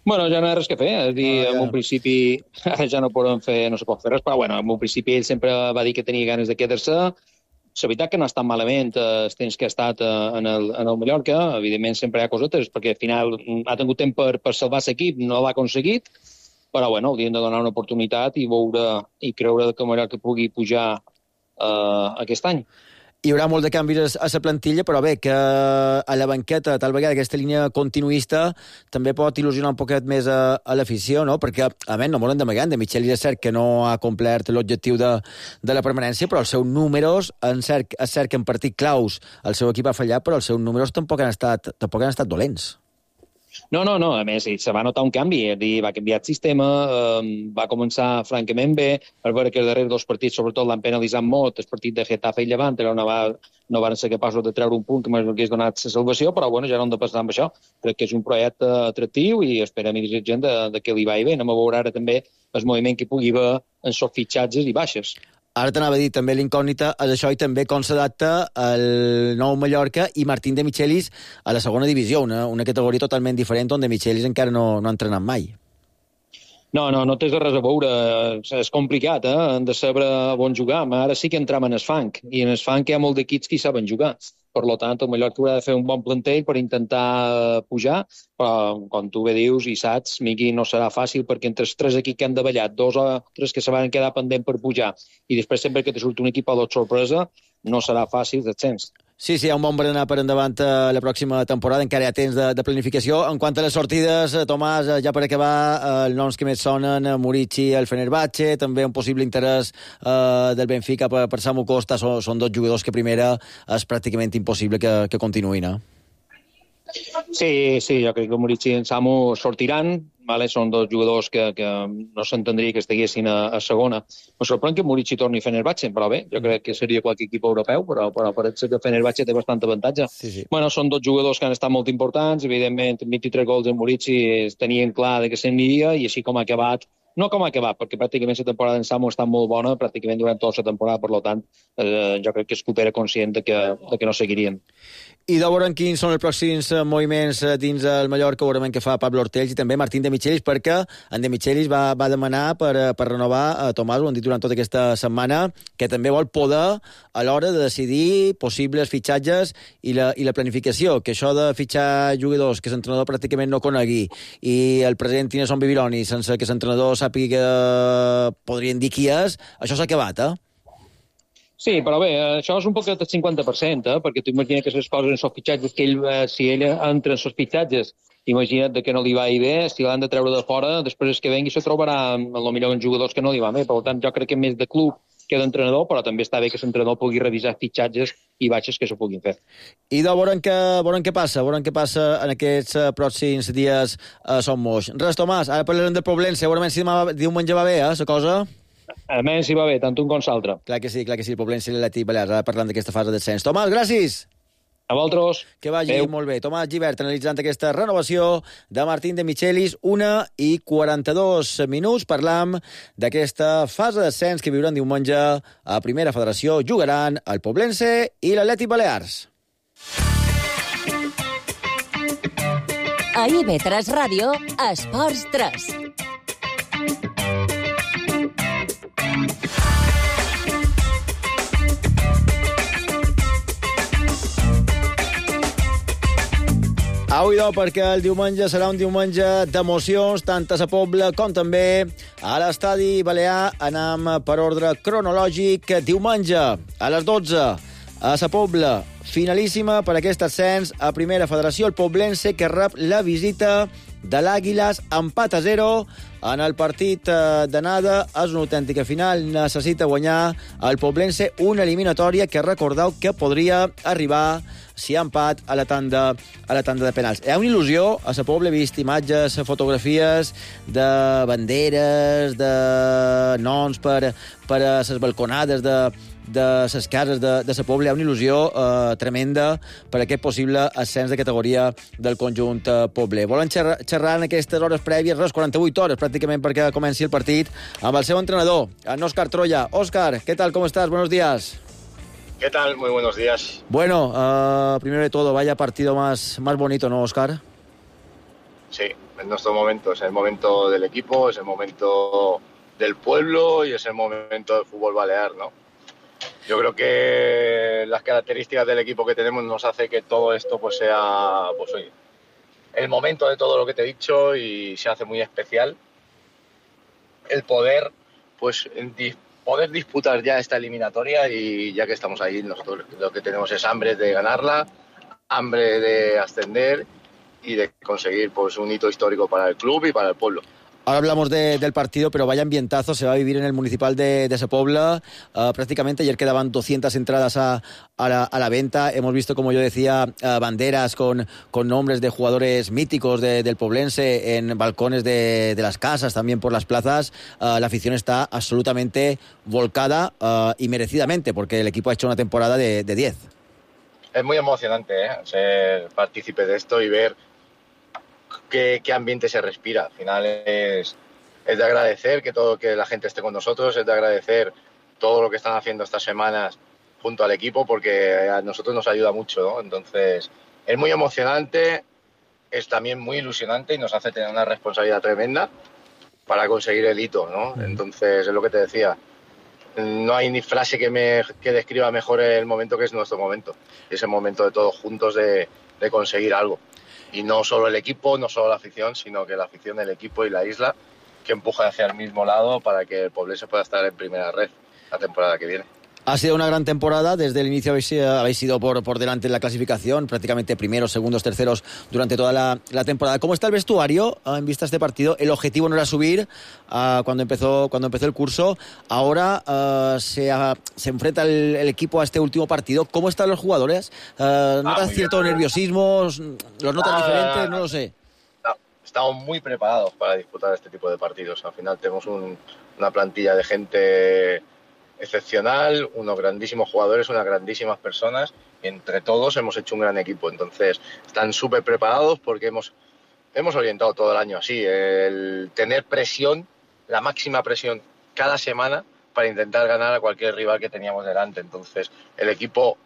Bueno, ja no hi ha res que fer, és a dir, en un principi ja no pot fer res, però bueno, en un principi ell sempre va dir que tenia ganes de quedar-se. La veritat que no ha estat malament els temps que ha estat en el Mallorca, evidentment sempre hi ha cosetes, perquè al final ha tingut temps per salvar l'equip, no l'ha aconseguit, però bueno, haurien de donar una oportunitat i veure i creure que el Mallorca pugui pujar aquest any. Hi haurà molt de canvis a la plantilla, però bé, que a la banqueta, tal vegada, aquesta línia continuista també pot il·lusionar un poquet més a l'afició, no? Perquè, a més, no molt d'amagar, de Michelis és cert que no ha complert l'objectiu de la permanència, però els seus números, és cert que en partit claus el seu equip ha fallat, però els seus números tampoc han estat dolents. No, a més, se va notar un canvi, és a dir, va canviar el sistema, va començar francament bé, per veure que els darrers dos partits, sobretot, l'han penalitzat molt, el partit de Getafe i Llevant, no van ser capaços de treure un punt que m'hagués donat la salvació, però bueno, ja no hem de passar amb això. Crec que és un projecte atractiu i esperem i desitgem de que li vagi bé. Anem a veure ara també el moviment que pugui haver en els fitxatges i baixes. Ara t'anava a dir, també l'incògnita és això i també com s'adapta el nou Mallorca i Martín de Michelis a la segona divisió, una categoria totalment diferent on de Michelis encara no ha entrenat mai. No té res a veure, és complicat, hem de saber on jugar, ara sí que entram en el fang, i en el fang hi ha molt d'equips que hi saben jugar. Per tant, el Mallorca haurà de fer un bon plantell per intentar pujar, però, com tu bé dius i saps, Miqui, no serà fàcil perquè entre els tres equips que han davallat, 2 o 3 que se van quedar pendent per pujar, i després sempre que te surt un equip a l'ot sorpresa, no serà fàcil descens. Sí, hi ha un bon berenar per endavant la pròxima temporada, encara hi ha temps de planificació. En quant a les sortides, Tomàs, ja per acabar, els noms que més sonen, Murici, el Fenerbahce, també un possible interès del Benfica per Samu Costa, són dos jugadors que primera és pràcticament impossible que continuïn. Sí, jo crec que Murici i en Samu sortiran, són dos jugadors que no s'entendria que estiguessin a segona. Me sorprèn que Murici torni a Fenerbahce, però bé, jo crec que seria qualque equip europeu, però parece que Fenerbahce té bastant avantatge. Sí. Bueno, són dos jugadors que han estat molt importants, evidentment, 23 gols en Murici tenien clar que se'n aniria, i així com ha acabat, no com ha acabat, perquè pràcticament la temporada en Samu està molt bona, pràcticament durant tota la temporada, per tant, jo crec que Escup era conscient de que no seguirien. I de veure quins són els pròxims moviments dins el Mallorca, veurem què fa Pablo Ortells i també Martín de Michelis, perquè en de Michelis va demanar per renovar a Tomàs, ho han dit durant tota aquesta setmana, que també vol poder a l'hora de decidir possibles fitxatges i la planificació, que això de fitxar jugadors que l'entrenador pràcticament no conegui i el president Tineson Bibiloni sense que l'entrenador sàpiga que podrien dir qui és, això s'ha acabat, Sí, però bé, això és un poc del 50%, perquè tu imagina que les coses en els fitxatges, que si ell entra en els fitxatges, imagina't que no li va bé, si l'han de treure de fora, després que vengui se trobarà potser en jugadors que no li va bé. Per tant, jo crec que més de club que d'entrenador, però també està bé que l'entrenador pugui revisar fitxatges i baixes que se puguin fer. I de veurem què passa en aquests pròxims dies a Son Moix. Res, Tomàs, ara parlarem del Poblense, segurament si demà diumenge va bé, la cosa? Almenys si va bé, tant un com l'altre. Clar que sí, el Poblense i l'Atlètic Balears, ara parlant d'aquesta fase de descens. Tomàs, gràcies! A vosaltres. Que vagi molt bé. Tomàs Gibert analitzant aquesta renovació de Martín de Michelis, 1:42. Parlam d'aquesta fase de descens que viuran diumenge a Primera Federació. Jugaran el Poblense i l'Atlètic Balears. A IB3 Ràdio, Esports 3. Avui perquè el diumenge serà un diumenge d'emocions, tant a la Pobla com també a l'Estadi Balear. Anem per ordre cronològic. Diumenge, a les 12, a la Pobla, finalíssima per aquest ascens a Primera Federació, el Poblense, que rep la visita de l'Àguiles, empat a 0 en el partit d'anada. És una autèntica final, necessita guanyar el Poblense, una eliminatòria que recordeu que podria arribar, si ha empat, a la tanda de penals. Hi ha una il·lusió, a la Pobla he vist imatges, fotografies de banderes, de noms per a les balconades de les cases de la Pobla. Hi ha una il·lusió tremenda per aquest possible ascens de categoria del conjunt pobler. Volen xerrar en aquestes hores prèvies, 48 hores pràcticament perquè comenci el partit, amb el seu entrenador, en Óscar Troya. Óscar, ¿qué tal? ¿Cómo estás? Buenos días. ¿Qué tal? Muy buenos días. Bueno, primero de todo, vaya partido más bonito, ¿no, Óscar? Sí, Es nuestro momento, es el momento del equipo, es el momento del pueblo y es el momento del fútbol balear, ¿no? Yo creo que las características del equipo que tenemos nos hace que todo esto pues sea, pues oye, el momento de todo lo que te he dicho, y se hace muy especial el poder, pues, poder disputar ya esta eliminatoria, y ya que estamos ahí, nosotros lo que tenemos es hambre de ganarla, hambre de ascender y de conseguir pues un hito histórico para el club y para el pueblo. Ahora hablamos del partido, pero vaya ambientazo se va a vivir en el municipal de Sepobla. Prácticamente ayer quedaban 200 entradas a la venta. Hemos visto, como yo decía, banderas con nombres de jugadores míticos del poblense en balcones de las casas, también por las plazas. La afición está absolutamente volcada y merecidamente, porque el equipo ha hecho una temporada de 10. Es muy emocionante ser partícipe de esto y ver qué ambiente se respira. Al final es de agradecer que la gente esté con nosotros, es de agradecer todo lo que están haciendo estas semanas junto al equipo, porque a nosotros nos ayuda mucho, ¿no? Entonces es muy emocionante, es también muy ilusionante y nos hace tener una responsabilidad tremenda para conseguir el hito, ¿no? Entonces es lo que te decía, no hay ni frase que describa mejor el momento, que es nuestro momento. Es el momento de todos juntos de conseguir algo. Y no solo el equipo, no solo la afición, sino que la afición, el equipo y la isla, que empuja hacia el mismo lado para que el Poblense pueda estar en primera red la temporada que viene. Ha sido una gran temporada. Desde el inicio habéis ido por delante en la clasificación, prácticamente primeros, segundos, terceros durante toda la temporada. ¿Cómo está el vestuario en vista de este partido? El objetivo no era subir cuando empezó el curso. Ahora se enfrenta el equipo a este último partido. ¿Cómo están los jugadores? ¿Notas cierto nerviosismo? ¿Los notas diferentes? No lo sé. Estamos muy preparados para disputar este tipo de partidos. Al final tenemos una plantilla de gente excepcional, unos grandísimos jugadores, unas grandísimas personas, y entre todos hemos hecho un gran equipo. Entonces están súper preparados, porque hemos orientado todo el año así, el tener presión, la máxima presión cada semana, para intentar ganar a cualquier rival que teníamos delante. Entonces el equipo,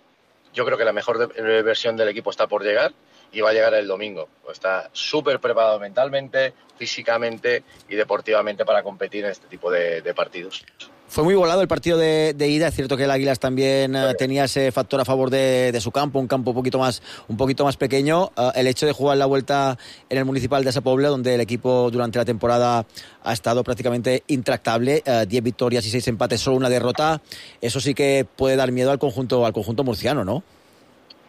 yo creo que la mejor versión del equipo está por llegar, y va a llegar el domingo. Está súper preparado mentalmente, físicamente y deportivamente para competir en este tipo de partidos. Fue muy volado el partido de ida. Es cierto que el Águilas también tenía ese factor a favor de su campo, un campo un poquito más pequeño. El hecho de jugar la vuelta en el municipal de Sepobla, donde el equipo durante la temporada ha estado prácticamente intractable, 10 victorias y 6 empates, solo una derrota, eso sí que puede dar miedo al conjunto murciano, ¿no?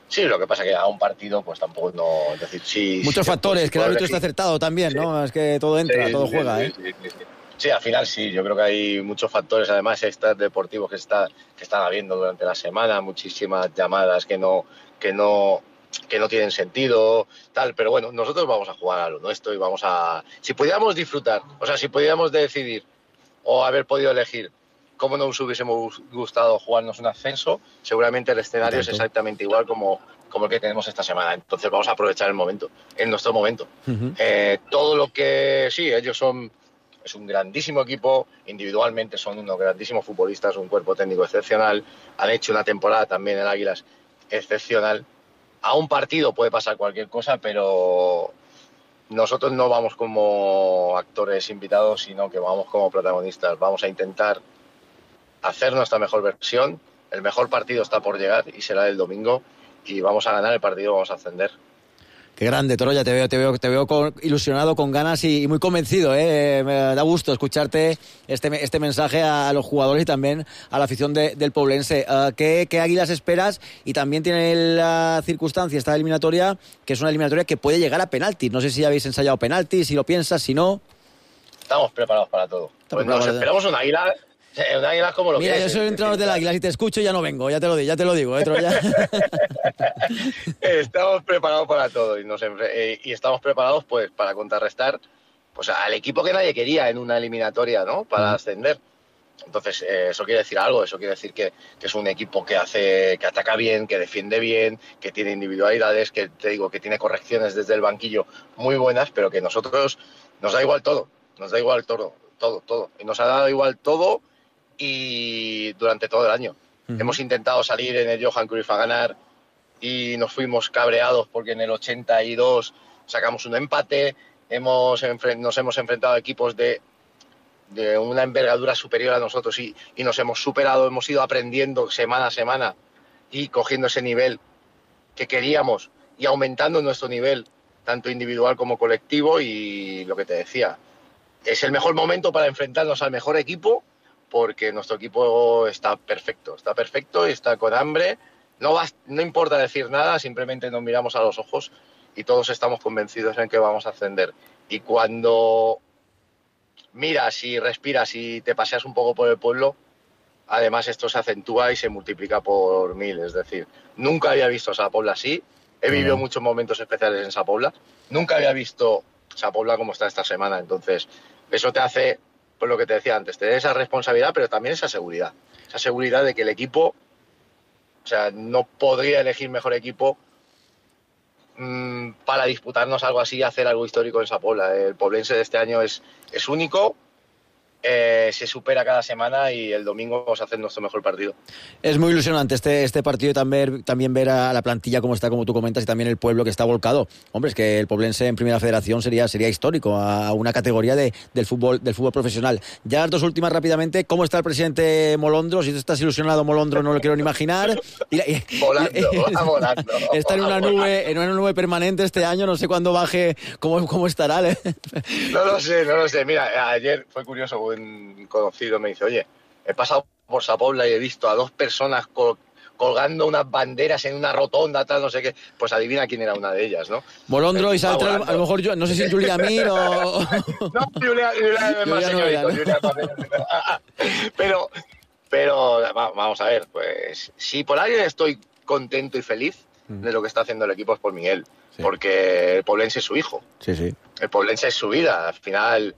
Sí, lo que pasa es que a un partido pues tampoco no... Es decir, sí, muchos factores, que el árbitro está acertado también, sí. ¿No? Es que todo entra, sí, todo juega, sí. Sí, al final sí, yo creo que hay muchos factores, además extras deportivos que están habiendo durante la semana, muchísimas llamadas que no tienen sentido, tal, pero bueno, nosotros vamos a jugar a lo nuestro y vamos a... Si pudiéramos disfrutar, o sea, si pudiéramos decidir o haber podido elegir cómo nos hubiésemos gustado jugarnos un ascenso, seguramente el escenario es exactamente igual como el que tenemos esta semana. Entonces vamos a aprovechar el momento, en nuestro momento. Todo lo que... Sí, ellos son... Es un grandísimo equipo, individualmente son unos grandísimos futbolistas, un cuerpo técnico excepcional, han hecho una temporada también en Águilas excepcional. A un partido puede pasar cualquier cosa, pero nosotros no vamos como actores invitados, sino que vamos como protagonistas. Vamos a intentar hacer nuestra mejor versión, el mejor partido está por llegar y será el domingo, y vamos a ganar el partido, vamos a ascender. Qué grande, Torolla, te veo ilusionado, con ganas y muy convencido, ¿eh? Me da gusto escucharte este mensaje a los jugadores y también a la afición del Poblense. ¿Qué Águilas esperas? Y también tiene la circunstancia, esta eliminatoria, que es una eliminatoria que puede llegar a penaltis. No sé si habéis ensayado penaltis, si lo piensas, si no. Estamos preparados para todo. Pues nos esperamos un Águila... Un Águila como lo Mira, que es. Mira, yo soy el entrenador del Águila, si te escucho ya no vengo, ya te lo digo, Troya. Estamos preparados para todo y estamos preparados pues para contrarrestar pues al equipo que nadie quería en una eliminatoria, ¿no? Para ascender. Entonces, eso quiere decir algo, eso quiere decir que es un equipo que ataca bien, que defiende bien, que tiene individualidades, que te digo que tiene correcciones desde el banquillo muy buenas, pero que nosotros nos da igual todo, todo. Y nos ha dado igual todo. Y durante todo el año hemos intentado salir en el Johan Cruyff a ganar y nos fuimos cabreados porque en el 82 sacamos un empate, nos hemos enfrentado a equipos de una envergadura superior a nosotros y nos hemos superado, hemos ido aprendiendo semana a semana y cogiendo ese nivel que queríamos y aumentando nuestro nivel, tanto individual como colectivo. Y lo que te decía, es el mejor momento para enfrentarnos al mejor equipo, porque nuestro equipo está perfecto y está con hambre. No importa decir nada, simplemente nos miramos a los ojos y todos estamos convencidos en que vamos a ascender. Y cuando miras y respiras y te paseas un poco por el pueblo, además esto se acentúa y se multiplica por 1000. Es decir, nunca había visto a Sa Pobla así. He vivido muchos momentos especiales en Sa Pobla. Nunca había visto Sa Pobla como está esta semana. Entonces, eso te hace, pues lo que te decía antes, tener esa responsabilidad, pero también esa seguridad. Esa seguridad de que el equipo, o sea, no podría elegir mejor equipo para disputarnos algo así y hacer algo histórico en Sa Pobla. El poblense de este año es único. Se supera cada semana y el domingo vamos a hacer nuestro mejor partido. Es muy ilusionante este partido y también ver a la plantilla como está, como tú comentas, y también el pueblo que está volcado. Hombre, es que el poblense en Primera Federación sería histórico, a una categoría del fútbol profesional. Ya las dos últimas rápidamente. ¿Cómo está el presidente Molondro? Si tú estás ilusionado, Molondro, no lo quiero ni imaginar. Volando. Está en una nube permanente este año, no sé cuándo baje, cómo estará. No lo sé. Mira, ayer fue curioso, un conocido me dice, oye, he pasado por Sa Pobla y he visto a dos personas colgando unas banderas en una rotonda, tal, no sé qué. Pues adivina quién era una de ellas, ¿no? Molondro y Saltra, a lo mejor yo, no sé si Julia Mir o... No, Julia es más señorito. Pero vamos a ver, pues si por alguien estoy contento y feliz de lo que está haciendo el equipo es por Miguel, porque el poblense es su hijo. Sí. El poblense es su vida, al final...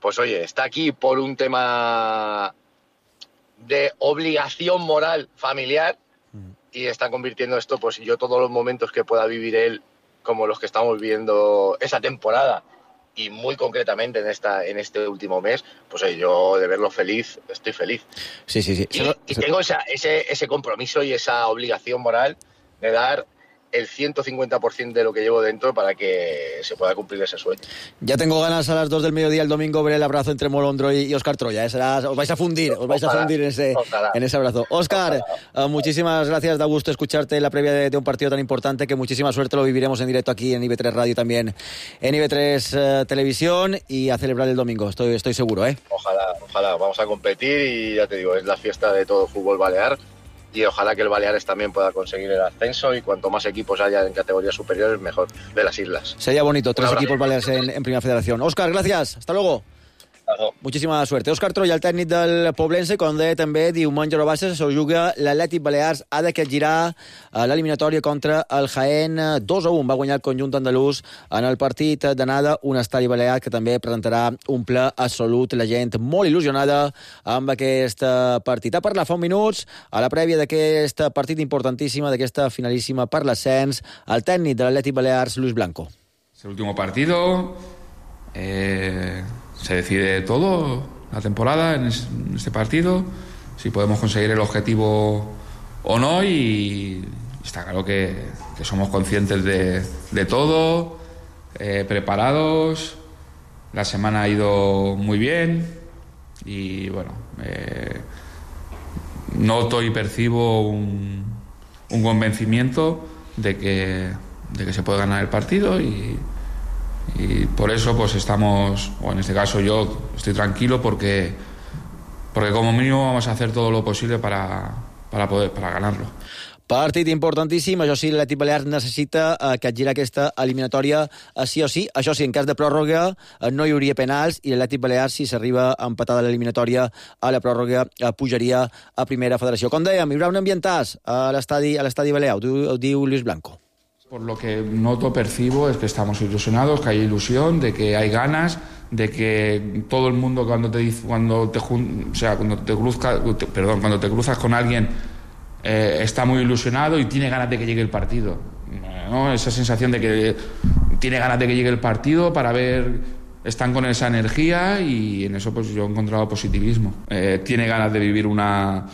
Pues oye, está aquí por un tema de obligación moral familiar y está convirtiendo esto, pues yo todos los momentos que pueda vivir él, como los que estamos viviendo esa temporada y muy concretamente en este último mes, pues oye, yo de verlo feliz, estoy feliz. Sí. Y tengo ese compromiso y esa obligación moral de dar el 150% de lo que llevo dentro para que se pueda cumplir ese sueño. Ya tengo ganas a las 2 del mediodía el domingo ver el abrazo entre Molondro y Óscar Troya. Os vais a fundir en ese abrazo. Óscar, muchísimas gracias, da gusto escucharte en la previa de un partido tan importante, que muchísima suerte, lo viviremos en directo aquí en IB3 Radio, también en IB3 Televisión, y a celebrar el domingo, estoy seguro, ¿eh? Ojalá, vamos a competir y ya te digo, es la fiesta de todo el fútbol balear. Y ojalá que el Baleares también pueda conseguir el ascenso, y cuanto más equipos haya en categorías superiores, mejor, de las islas. Sería bonito, 3 equipos Baleares en Primera Federación. Óscar, gracias, hasta luego. Moltíssima suerte. Óscar Troya, el tècnic del Poblense, com deia també, diumenge a Bassa se juga l'Atlètic Balears, ha de capgirar l'eliminatòria contra el Jaén 2-1. Va guanyar el conjunt andalús en el partit d'anada, un estadi balear que també presentarà un ple absolut. La gent molt il·lusionada amb aquest partit. Ha parlat fa uns minuts a la prèvia d'aquest partit importantíssima, d'aquesta finalíssima per l'ascens, el tècnic de l'Atlètic Balears, Luis Blanco. Es el último partido. Se decide todo la temporada en este partido, si podemos conseguir el objetivo o no, y está claro que somos conscientes de todo, preparados. La semana ha ido muy bien y bueno, noto y percibo un convencimiento de que se puede ganar el partido, y por eso pues estamos, o en este caso yo estoy tranquilo, porque como mínimo vamos a hacer todo lo posible para ganarlo. Partit importantíssim, això sí, l'Atlètic Balears necessita capgirar aquesta eliminatòria sí o sí. Això sí, en cas de pròrroga no hi hauria penals, i l'Atlètic Balears, si s'arriba empatada l'eliminatòria a la pròrroga, pujaria a Primera Federació. Com dèiem, hi haurà un ambientàs a l'estadi Balear, ho diu Luis Blanco. Por lo que noto, percibo, es que estamos ilusionados, que hay ilusión, de que hay ganas, de que todo el mundo cuando te cruzas con alguien está muy ilusionado y tiene ganas de que llegue el partido, ¿no? Esa sensación de que tiene ganas de que llegue el partido para ver, están con esa energía, y en eso pues yo he encontrado positivismo. Tiene ganas de vivir una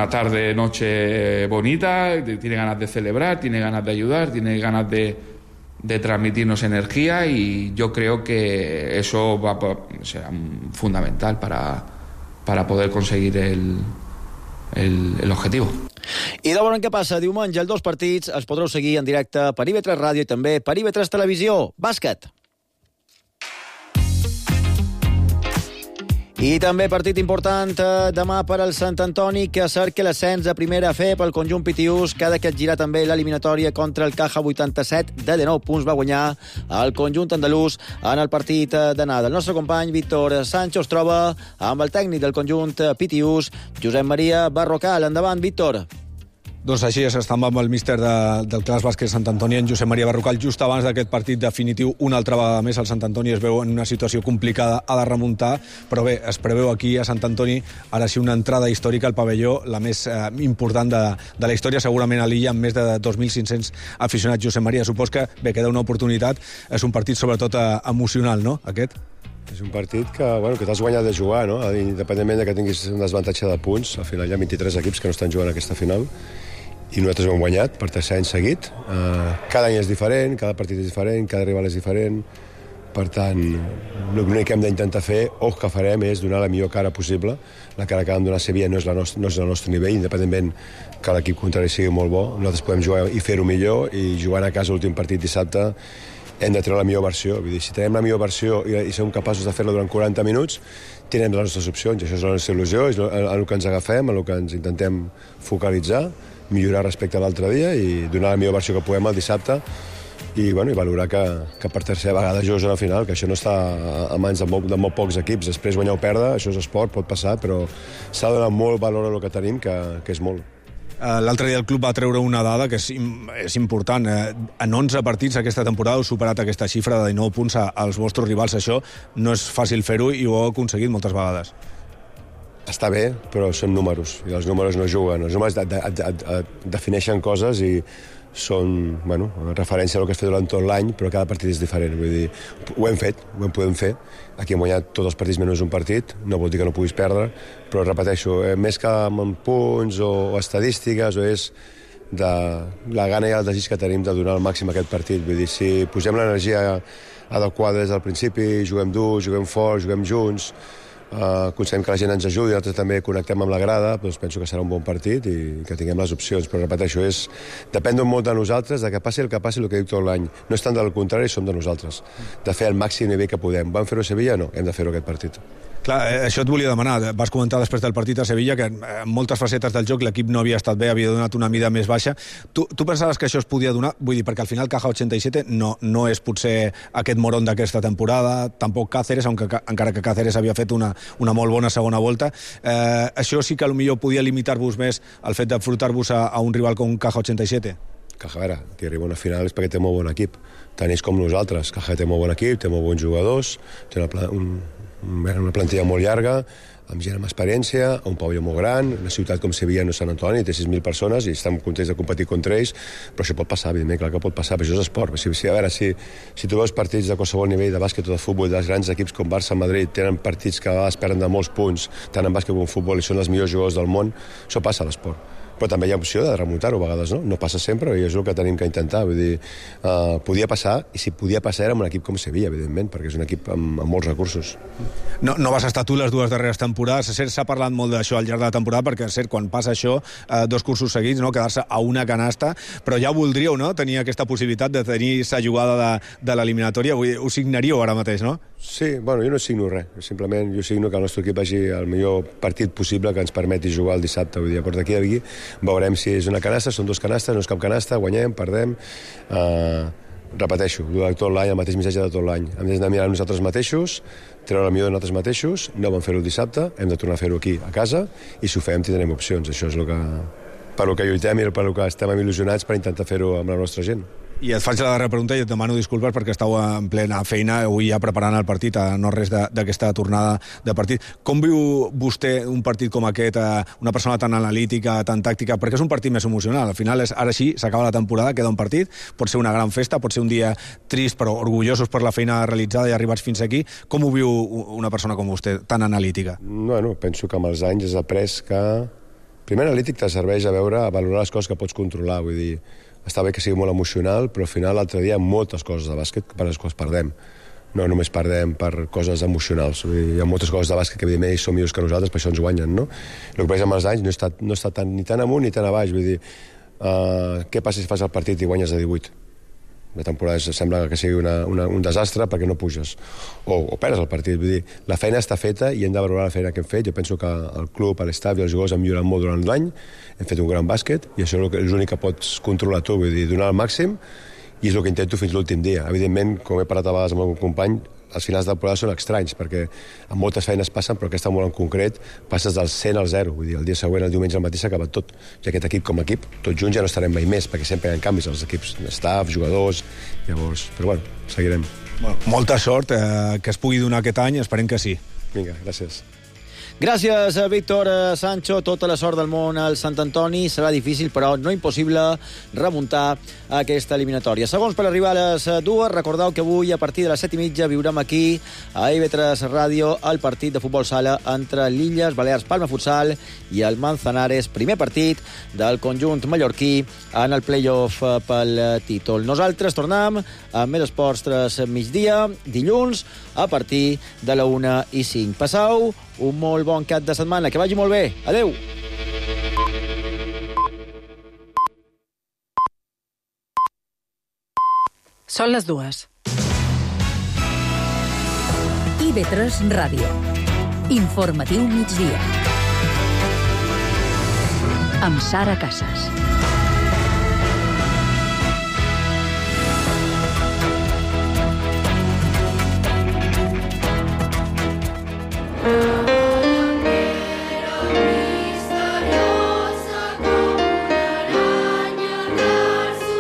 tarde, noche bonita, tiene ganas de celebrar, tiene ganas de ayudar, tiene ganas de de transmitirnos energía, y yo creo que eso será fundamental para poder conseguir el objetivo. I de veure què passa diumenge. Els 2 partits els podreu seguir en directe per IB3 Ràdio i també per IB3 Televisió. Bàsquet. I també partit important demà per al Sant Antoni, que cerca l'ascens a primera F pel conjunt pitiús, que ha de capgirar també l'eliminatòria contra el Caja 87. De 19 punts va guanyar el conjunt andalús en el partit d'anada. El nostre company Víctor Sancho es troba amb el tècnic del conjunt pitiús, Josep Maria Barrocal. Endavant, Víctor. Doncs així és, estàvem amb el míster del Clas Bàsquet Sant Antoni, en Josep Maria Barrocal, just abans d'aquest partit definitiu. Una altra vegada més el Sant Antoni es veu en una situació complicada, ha de remuntar, però bé, es preveu aquí a Sant Antoni ara sí una entrada històrica al pavelló, la més important de la història, segurament a l'illa, amb més de 2.500 aficionats. Josep Maria, supos que bé, queda una oportunitat, és un partit sobretot emocional, no?, aquest? És un partit que t'has guanyat de jugar, no? Independentment que tinguis un desavantatge de punts, al final hi ha 23 equips que no estan jugant aquesta final, i nosaltres ho hem guanyat per 3 anys seguit. Cada any és diferent, cada partit és diferent, cada rival és diferent. Per tant, l'únic que hem d'intentar fer, o que farem, és donar la millor cara possible. La cara que vam donar a Sevilla no és el nostre nivell, independentment que l'equip contrari sigui molt bo. Nosaltres podem jugar i fer-ho millor, i jugant a casa l'últim partit dissabte hem de treure la millor versió. Vull dir, si tenim la millor versió i som capaços de fer-la durant 40 minuts, tindrem les nostres opcions. Això és la nostra il·lusió, és el que ens agafem, el que ens intentem focalitzar, millorar respecte a l'altre dia i donar la millor versió que puguem el dissabte i valorar que per tercera vegada jugues a la final, que això no està a mans de molt pocs equips. Després guanyar o perdre, això és esport, pot passar, però s'ha de donar molt valor a el que tenim, que és molt. L'altre dia el club va treure una dada que és important. En 11 partits aquesta temporada heu superat aquesta xifra de 19 punts als vostres rivals. Això no és fàcil fer-ho i ho heu aconseguit moltes vegades. Està bé, però són números, i els números no juguen. Els números defineixen coses i són, referència a el que has fet durant tot l'any, però cada partit és diferent. Vull dir, ho hem fet, ho podem fer. Aquí hem guanyat tots els partits menys un partit, no vol dir que no puguis perdre, però repeteixo, més que amb punts o estadístiques, o és de la gana i el desig que tenim de donar al màxim aquest partit. Vull dir, si posem l'energia adequada des del principi, juguem dur, juguem fort, juguem junts, aconseguim que la gent ens ajudi, nosaltres també connectem amb la grada, doncs penso que serà un bon partit i que tinguem les opcions, però repeteixo, depèn molt de nosaltres, de que passi el que dic tot l'any. No és tant del contrari, som de nosaltres, de fer el màxim nivell que podem. Vam fer-ho a Sevilla? No, hem de fer-ho aquest partit. Clar, això et volia demanar. Vas comentar després del partit a Sevilla que en moltes facetes del joc l'equip no havia estat bé, havia donat una mida més baixa. Tu pensaves que això es podia donar? Vull dir, perquè al final Caja 87 no és potser aquest moron d'aquesta temporada, tampoc Cáceres, encara que Cáceres havia fet una molt bona segona volta. Això sí que potser podia limitar-vos més el fet d'enfrontar-vos a un rival com Caja 87? Caja, a veure, que arriba a una final és perquè té molt bon equip. Tant ells com nosaltres. Caja té molt bon equip, té molt bons jugadors, té una plantilla molt llarga, amb gent amb experiència, un pavelló molt gran, una ciutat com Sevilla, no Sant Antoni, té 6.000 persones i estem contents de competir contra ells, però això pot passar, evidentment, clar que pot passar, però això és esport. A veure, si tu veus partits de qualsevol nivell de bàsquet o de futbol, dels grans equips com Barça, Madrid, tenen partits que a vegades perden de molts punts, tant en bàsquet com en futbol, i són els millors jugadors del món, això passa a l'esport. Però també hi ha opció de remuntar-ho a vegades, no? No passa sempre i és el que tenim que intentar. Vull dir, podia passar, i si podia passar era amb un equip com Sevilla, evidentment, perquè és un equip amb molts recursos. No vas estar tu les 2 darreres temporades. S'ha parlat molt d'això al llarg de la temporada, perquè quan passa això, 2 cursos seguits, no? Quedar-se a una canasta, però ja voldríeu, no?, tenir aquesta possibilitat de tenir la jugada de l'eliminatòria. Ho signaríeu ara mateix, no? Sí, jo no signo res. Simplement jo signo que el nostre equip vagi al millor partit possible que ens permeti jugar el dissabte. Vull dir, a partir d'aquí a aquí veurem si és una canasta, són 2 canastes, no és cap canasta, guanyem, perdem. Repeteixo, durant tot l'any, el mateix missatge de tot l'any. Hem de mirar nosaltres mateixos, treure el millor de nosaltres mateixos, no vam fer-ho el dissabte, hem de tornar a fer-ho aquí a casa, i si ho fem tindrem opcions. Això és per lo que lluitem i per lo que estem il·lusionats per intentar fer-ho amb la nostra gent. I et faig la darrera pregunta i et demano disculpes perquè estàu en plena feina avui ja preparant el partit, no res d'aquesta tornada de partit. Com viu vostè un partit com aquest, una persona tan analítica, tan tàctica, perquè és un partit més emocional? Al final, ara sí, s'acaba la temporada, queda un partit, pot ser una gran festa, pot ser un dia trist però orgullosos per la feina realitzada i arribats fins aquí. Com ho viu una persona com vostè, tan analítica? Penso que amb els anys has après que primer analític te serveix a valorar les coses que pots controlar, vull dir, està bé que sigui molt emocional, però al final l'altre dia hi ha moltes coses de bàsquet per les quals perdem. No només perdem per coses emocionals. Hi ha moltes coses de bàsquet que evidentment ells són millors que nosaltres, per això ens guanyen, no? El que passa amb els anys no he estat ni tan amunt ni tan a baix. Vull dir, què passa si fas el partit i guanyes de 18? La temporada sembla que sigui un desastre perquè no puges o perds el partit. Vull dir, la feina està feta i hem de valorar la feina que hem fet. Jo penso que el club, l'estaf i els jugadors han millorat molt durant l'any, hem fet un gran bàsquet i això és l'únic que pots controlar tu, vull dir, donar el màxim, i és el que intento fins l'últim dia. Evidentment, com he parlat a vegades amb algun company, els finals de temporada són estranys perquè amb moltes feines passen, però aquesta molt en concret passes del 100 al 0, vull dir, el dia següent, el diumenge al matí s'ha acabat tot, i aquest equip com a equip tots junts ja no estarem mai més, perquè sempre hi ha canvis als equips, staff, jugadors, llavors, però bueno, seguirem. Bueno, molta sort, que es pugui donar aquest any, esperem que sí. Vinga, gràcies. Gràcies, Víctor Sancho. Tota la sort del món al Sant Antoni. Serà difícil, però no impossible remuntar aquesta eliminatòria. Segons per arribar a les 2, recordeu que avui a partir de les 7:30 viurem aquí a IB3 Ràdio el partit de futbol sala entre l'Illes Balears Palma Futsal i el Manzanares, primer partit del conjunt mallorquí en el play-off pel títol. Nosaltres tornem amb més esports 3 migdia, dilluns, a partir de la 1:05. Passau un molt bon cap de setmana, que vagi molt bé. Adeu! Són les 2. IB3 Ràdio. Informatiu migdia. Amb Sara Casas. Mm.